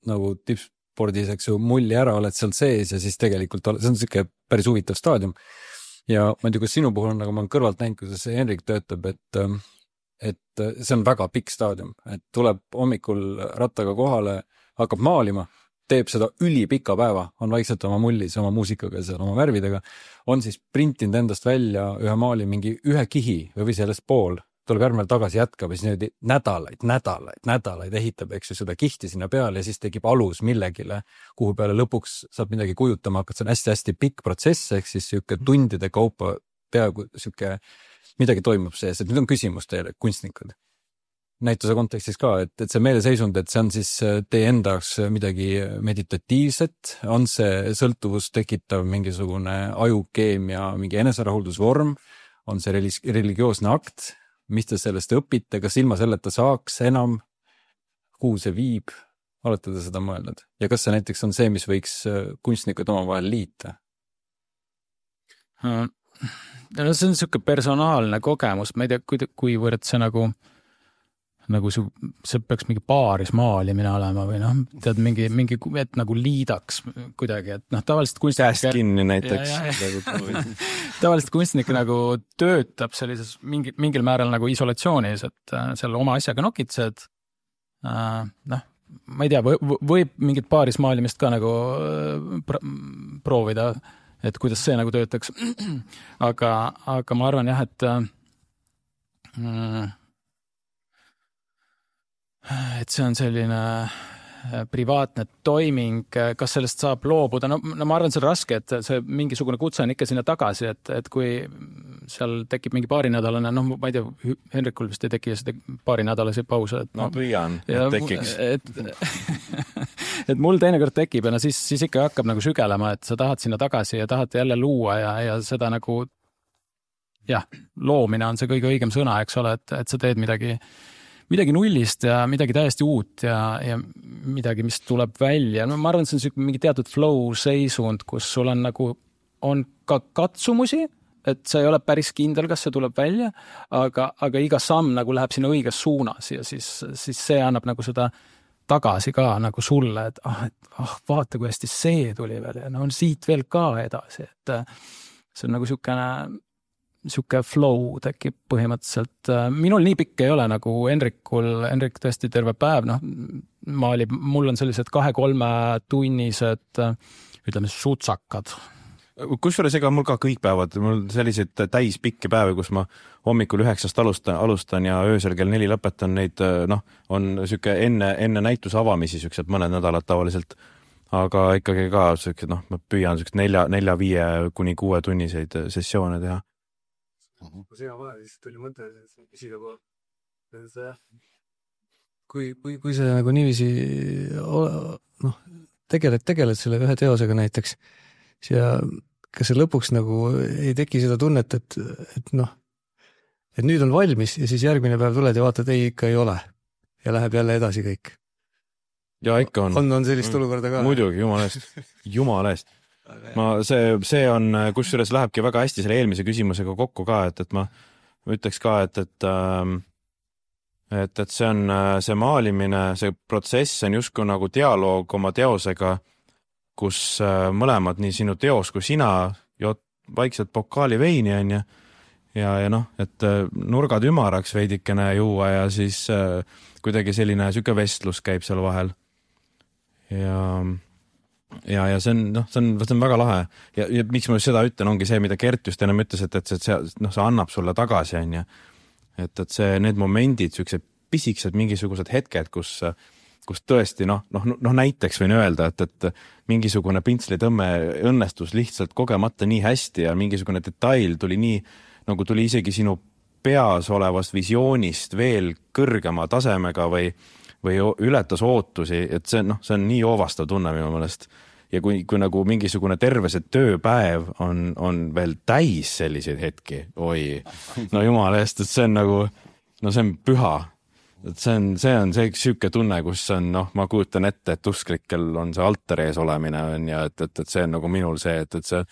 nagu tippspordis, eks ju, mulli ära, oled seal sees ja siis tegelikult see on siuke päris huvitav staadium. Ja ma ei tea, kus sinu puhul on, nagu ma olen kõrvalt näinud, kuidas Henrik töötab, et, et see on väga pikk staadium, et tuleb hommikul rattaga kohale, hakkab maalima, teeb seda ülipika päeva, on vaikselt oma mullis, oma muusikaga ja oma värvidega, on siis printinud endast välja ühe maali mingi ühe kihi või sellest pool, tuleb järgmine tagasi jätkab ja siis nüüd nädalaid, nädalaid, nädalaid ehitab, eks ju, seda kihti sinna peale ja siis tekib alus millegile, kuhu peale lõpuks saab midagi kujutama hakata, see on hästi-hästi pikk protsess, ehk siis siuke tundide kaupa peaaegu siuke midagi toimub sees, et nüüd on küsimus teile, kunstnikud. Näituse kontekstis ka, et, et see meeleseisund, et see on siis teie endaks midagi meditatiivset, on see sõltuvus tekitav mingisugune ajukeemia, mingi eneserahuldusvorm, on see religioosne akt, mis te sellest õpite, kas ilma selleta saaks enam, kuhu see viib, olete te seda mõelnud? Ja kas see näiteks on see, mis võiks kunstnikud omavahel liita? No, see on siuke personaalne kogemus, ma ei tea, kui, kuivõrd see nagu nagu see, see peaks mingi paaris maalimine olema või noh, tead mingi, mingi, et nagu liidaks kuidagi, et noh, tavaliselt kunstnik... Käest kinni näiteks. tavaliselt kunstnik nagu töötab sellises mingi, mingil määral nagu isolatsioonis, et seal oma asjaga nokitsed, noh, ma ei tea, võib mingit paaris maalimist ka nagu proovida, et kuidas see nagu töötaks. aga, aga ma arvan jah, et mm, et see on selline privaatne toiming, kas sellest saab loobuda, no, no ma arvan, see on raske, et see mingisugune kutse on ikka sinna tagasi, et, et kui seal tekib mingi paarinädalane, noh, ma ei tea, Henrikul vist ei teki seda paarinädalasi pause. Et, no, no püüan, et tekiks. Et, et mul teinekord tekib ja no siis, siis ikka hakkab nagu sügelema, et sa tahad sinna tagasi ja tahad jälle luua ja, ja seda nagu, jah, loomine on see kõige õigem sõna, eks ole, et, et sa teed midagi midagi nullist ja midagi täiesti uut ja, ja midagi, mis tuleb välja. No ma arvan, see on mingi teatud flow seisund, kus sul on nagu, on ka katsumusi, et see ei ole päris kindel, kas see tuleb välja, aga, aga iga samm nagu läheb sinna õiges suunas ja siis, siis see annab nagu seda tagasi ka nagu sulle, et ah, et, ah, vaata, kui hästi see tuli veel ja no on siit veel ka edasi, et see on nagu siukene siuke flow tekib põhimõtteliselt. Minul nii pikk ei ole nagu Henrikul, Henrik tõesti terve päev, noh, maalib, mul on sellised kahe-kolme tunnised, ütleme, sutsakad. Kusjuures ega mul ka kõik päevad, mul sellised täis pikki päevi, kus ma hommikul üheksast alustan, alustan ja öösel kell neli lõpetan neid, noh, on siuke enne, enne näituse avamisi siuksed mõned nädalad tavaliselt, aga ikkagi ka siuksed, noh, ma püüan siuksed nelja, nelja, viie kuni kuue tunniseid sessioone teha. Kui sina vahel, siis tuli mõte, et küsida kohe. Kui, kui, kui sa nagu niiviisi noh, tegeled, tegeled selle ühe teosega näiteks ja kas see lõpuks nagu ei teki seda tunnet, et, et noh, et nüüd on valmis ja siis järgmine päev tuled ja vaatad, ei ikka ei ole ja läheb jälle edasi kõik. Ja ikka on. On, on sellist olukorda ka. Muidugi, jumala eest. Jumala eest. Ma, see, see on, kusjuures lähebki väga hästi selle eelmise küsimusega kokku ka, et, et ma ütleks ka, et, et, et, et see on see maalimine, see protsess on justkui nagu dialoog oma teosega, kus mõlemad, nii sinu teos kui sina, jood vaikselt pokaali veini on ja, ja, ja noh, et nurgad ümaraks veidikene juua ja siis kuidagi selline süke vestlus käib seal vahel. Ja ja, ja see on, noh, see on, see on väga lahe ja, ja miks ma seda ütlen, ongi see, mida Gert just ennem ütles, et, et see, noh, see annab sulle tagasi, on ja, et, et see, need momendid, siuksed pisiksed mingisugused hetked, kus, kus tõesti, noh, noh, noh, näiteks võin öelda, et, et mingisugune pintslitõmme õnnestus lihtsalt kogemata nii hästi ja mingisugune detail tuli nii, nagu tuli isegi sinu peas olevast visioonist veel kõrgema tasemega või või ületas ootusi, et see, noh, see on nii oovastav tunne minu mõelest. Ja kui, kui nagu mingisugune terve see tööpäev on, on veel täis selliseid hetki, oi, no jumala eest, et see on nagu, no see on püha. Et see on, see on see süüke tunne, kus on, noh, ma kujutan ette, et usklikel on see altar ees olemine on ja et, et, et see on nagu minul see, et, et see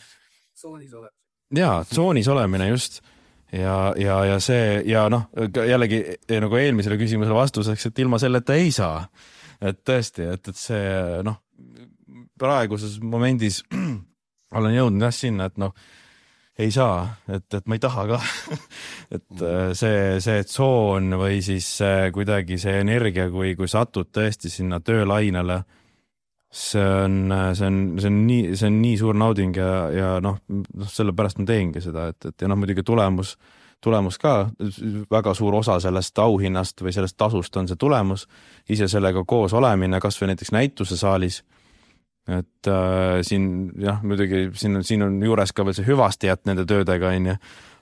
soonis oleb. jaa, tsoonis olemine just ja, ja, ja see ja noh, jällegi nagu eelmisele küsimusele vastuseks, et ilma selleta ei saa. Et tõesti, et, et see noh, praeguses momendis olen jõudnud jah sinna, et noh, ei saa, et, et ma ei taha ka. et see, see tsoon või siis kuidagi see energia, kui, kui satud tõesti sinna töölainele, see on, see on, see on nii, see on nii suur nauding ja, ja noh, sellepärast ma teengi seda, et, et ja noh, muidugi tulemus, tulemus ka, väga suur osa sellest auhinnast või sellest tasust on see tulemus, ise sellega koos olemine, kas või näiteks näituse saalis, et äh, siin jah, muidugi siin on, siin on juures ka veel see hüvastijät nende töödega, on ju,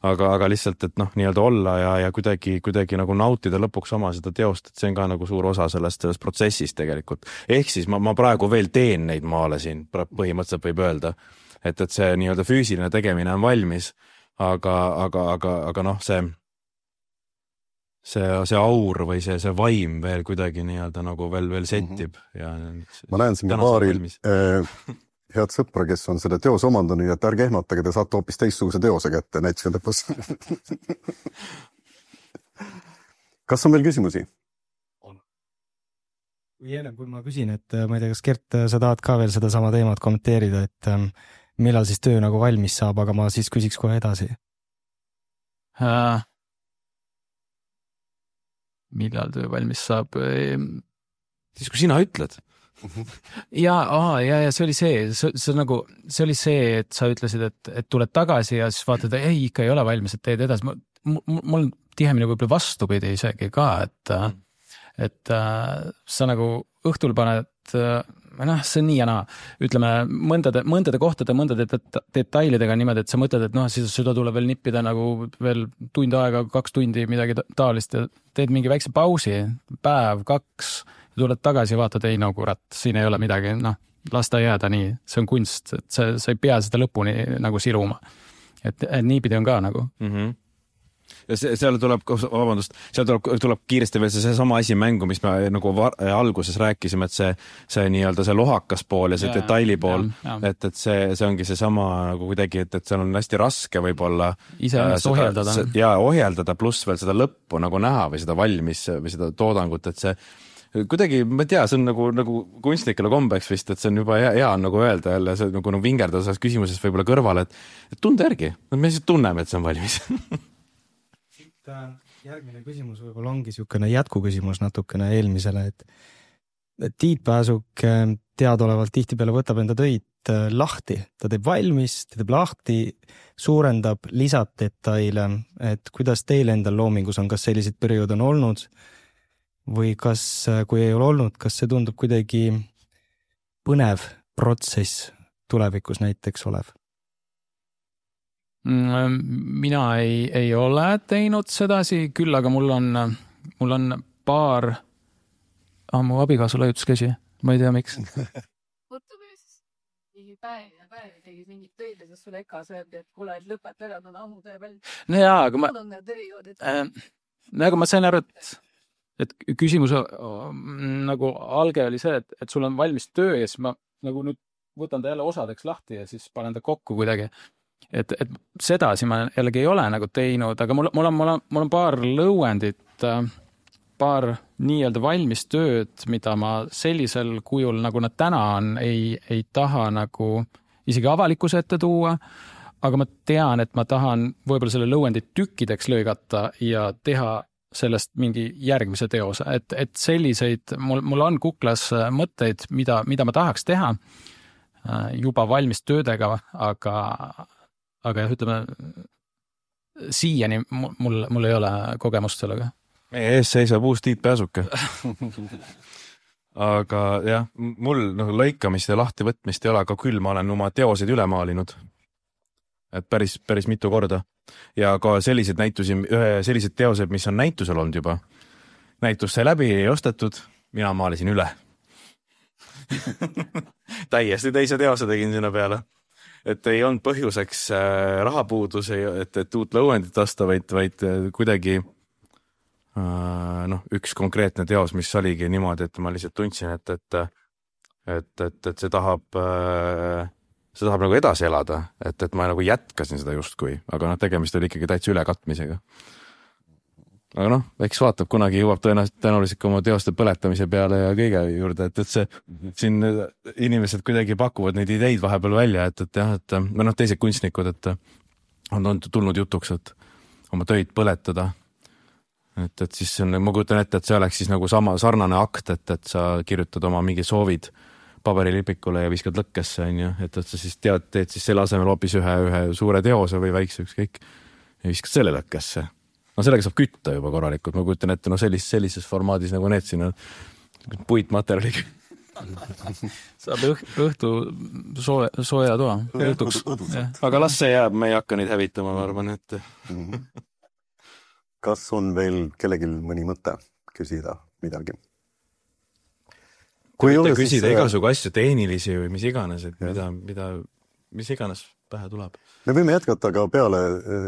aga, aga lihtsalt, et noh, nii-öelda olla ja, ja kuidagi, kuidagi nagu nautida lõpuks oma seda teost, et see on ka nagu suur osa sellest, sellest protsessist tegelikult. Ehk siis ma, ma praegu veel teen neid maale siin, põhimõtteliselt võib öelda, et, et see nii-öelda füüsiline tegemine on valmis, aga, aga, aga, aga noh, see see, see aur või see, see vaim veel kuidagi nii-öelda nagu veel, veel settib. Ja ma näen siin paaril äh, head sõpra, kes on selle teos omandanud, et ärge ehmatage, te saate hoopis teistsuguse teose kätte näituse lõpus. Kas on veel küsimusi? On. Või enne, kui ma küsin, et ma ei tea, kas Gert, sa tahad ka veel seda sama teemat kommenteerida, et ähm, millal siis töö nagu valmis saab, aga ma siis küsiks kohe edasi. Äh. Millal töö valmis saab? Siis kui sina ütled. ja, aha, ja, ja see oli see, see, see, nagu, see oli see, et sa ütlesid, et, et tuled tagasi ja siis vaatad, ei, ikka ei ole valmis, et teed edasi. Mul on tihemini võib-olla vastupidi isegi ka, et, et sa nagu õhtul paned, noh, see on nii ja naa, ütleme mõndade, mõndade kohtade, mõndade detailidega niimoodi, et sa mõtled, et noh, siis seda tuleb veel nippida nagu veel tund aega, kaks tundi, midagi taolist ja teed mingi väikse pausi, päev, kaks, tuled tagasi ja vaatad, ei no kurat, siin ei ole midagi, noh, las ta jääda nii, see on kunst, et sa, sa ei pea seda lõpuni nagu siluma. Et, et niipidi on ka nagu. Mhm. Ja see, seal tuleb, vabandust, seal tuleb, tuleb kiiresti veel see, see sama asi mängu, mis me nagu var, alguses rääkisime, et see, see nii-öelda see lohakas pool ja see ja, detaili pool, ja, ja. et, et see, see ongi see sama nagu kuidagi, et, et seal on hästi raske võib-olla ise äh, ohjeldada. Ja ohjeldada, pluss veel seda lõppu nagu näha või seda valmis või seda toodangut, et see kuidagi, ma ei tea, see on nagu, nagu kunstlikele kombeks vist, et see on juba hea, hea on nagu öelda jälle, see nagu, nagu vingerdada selles küsimuses võib-olla kõrvale, et, et tunde järgi, me lihtsalt tunneme, et see on valmis. Järgmine küsimus võib-olla ongi niisugune jätkuküsimus natukene eelmisele, et, et Tiit Pääsuk teadolevalt tihtipeale võtab enda töid lahti, ta teeb valmis, ta teeb lahti, suurendab, lisab detaile, et kuidas teil endal loomingus on, kas sellised periood on olnud või kas, kui ei ole olnud, kas see tundub kuidagi põnev protsess tulevikus näiteks olev? Mina ei, ei ole teinud sedasi, küll aga mul on, mul on paar ah, mu abikaasu laiutus käsi, ma ei tea miks. Võttumees, mingi päev ja päev tegi mingid töid, kus sulle eka sööb, et kuule, et lõpet ära, on ammu töö veel. No jaa, aga ma, äh, nagu ma sain aru, et, et küsimus nagu alge oli see, et, et sul on valmis töö ja siis ma nagu nüüd võtan ta jälle osadeks lahti ja siis panen ta kokku kuidagi. Et, et sedasi ma jällegi ei ole nagu teinud, aga mul, mul, on, mul, on, mul on paar lõuendit, paar nii-öelda valmis tööd, mida ma sellisel kujul, nagu nad täna on, ei, ei taha nagu isegi avalikkuse ette tuua, aga ma tean, et ma tahan võib-olla selle lõuendit tükkideks lõigata ja teha sellest mingi järgmise teose, et, et selliseid, mul, mul on kuklas mõtteid, mida, mida ma tahaks teha juba valmis töödega, aga aga jah, ütleme, siiani mul, mul ei ole kogemust sellega. Meie ees seisab uus Tiit Pääsuke. aga jah, mul noh, lõikamist ja lahtivõtmist ei ole, aga küll ma olen oma teoseid üle maalinud. Et päris, päris mitu korda. Ja ka sellised näitusi, sellised teosed, mis on näitusel olnud juba. Näitus sai läbi, ei ostetud, mina maalisin üle. Täiesti teise teose tegin sinna peale. Et ei olnud põhjuseks äh, rahapuudus, et, et uut lõuendit osta, vaid, vaid kuidagi äh, noh, üks konkreetne teos, mis oligi niimoodi, et ma lihtsalt tundsin, et, et, et, et, et see tahab äh, see tahab nagu edasi elada, et, et ma nagu jätkasin seda justkui, aga noh, tegemist oli ikkagi täitsa ülekatmisega. Aga noh, eks vaatab, kunagi jõuab tõenäoliselt tõenäoliselt oma teoste põletamise peale ja kõige juurde, et, et see siin inimesed kuidagi pakuvad neid ideid vahepeal välja, et, et jah, et või noh, teised kunstnikud, et on, on tulnud jutuks, et oma töid põletada. Et, et siis on, ma kujutan ette, et see oleks siis nagu sama sarnane akt, et, et sa kirjutad oma mingi soovid paberilipikule ja viskad lõkkesse, on ju, et, et sa siis tead, teed siis selle asemel hoopis ühe, ühe suure teose või väikse ükskõik ja viskad selle lõkkesse. No sellega saab kütta juba korralikult, ma kujutan ette, no sellis, sellises formaadis nagu need siin on puitmaterjaliga. Saab õh, õhtu soe, sooja toa. Aga las see jääb, me ei hakka neid hävitama, ma arvan, et... Kas on veel kellelgi mõni mõte küsida midagi? Kui mitte küsida siis... igasugu asju tehnilisi või mis iganes, et mida, mida, mis iganes pähe tuleb. Me võime jätkata ka peale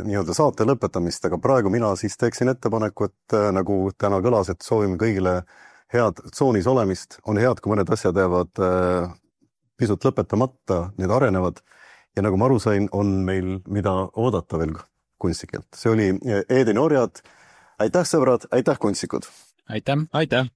nii-öelda saate lõpetamist, aga praegu mina siis teeksin ettepaneku, et nagu täna kõlas, et soovime kõigile head tsoonis olemist. On head, kui mõned asjad jäävad pisut lõpetamata, need arenevad. Ja nagu ma aru sain, on meil mida oodata veel kunstnikelt. See oli Eedeni orjad. Aitäh, sõbrad, aitäh, kunstnikud! Aitäh! Aitäh!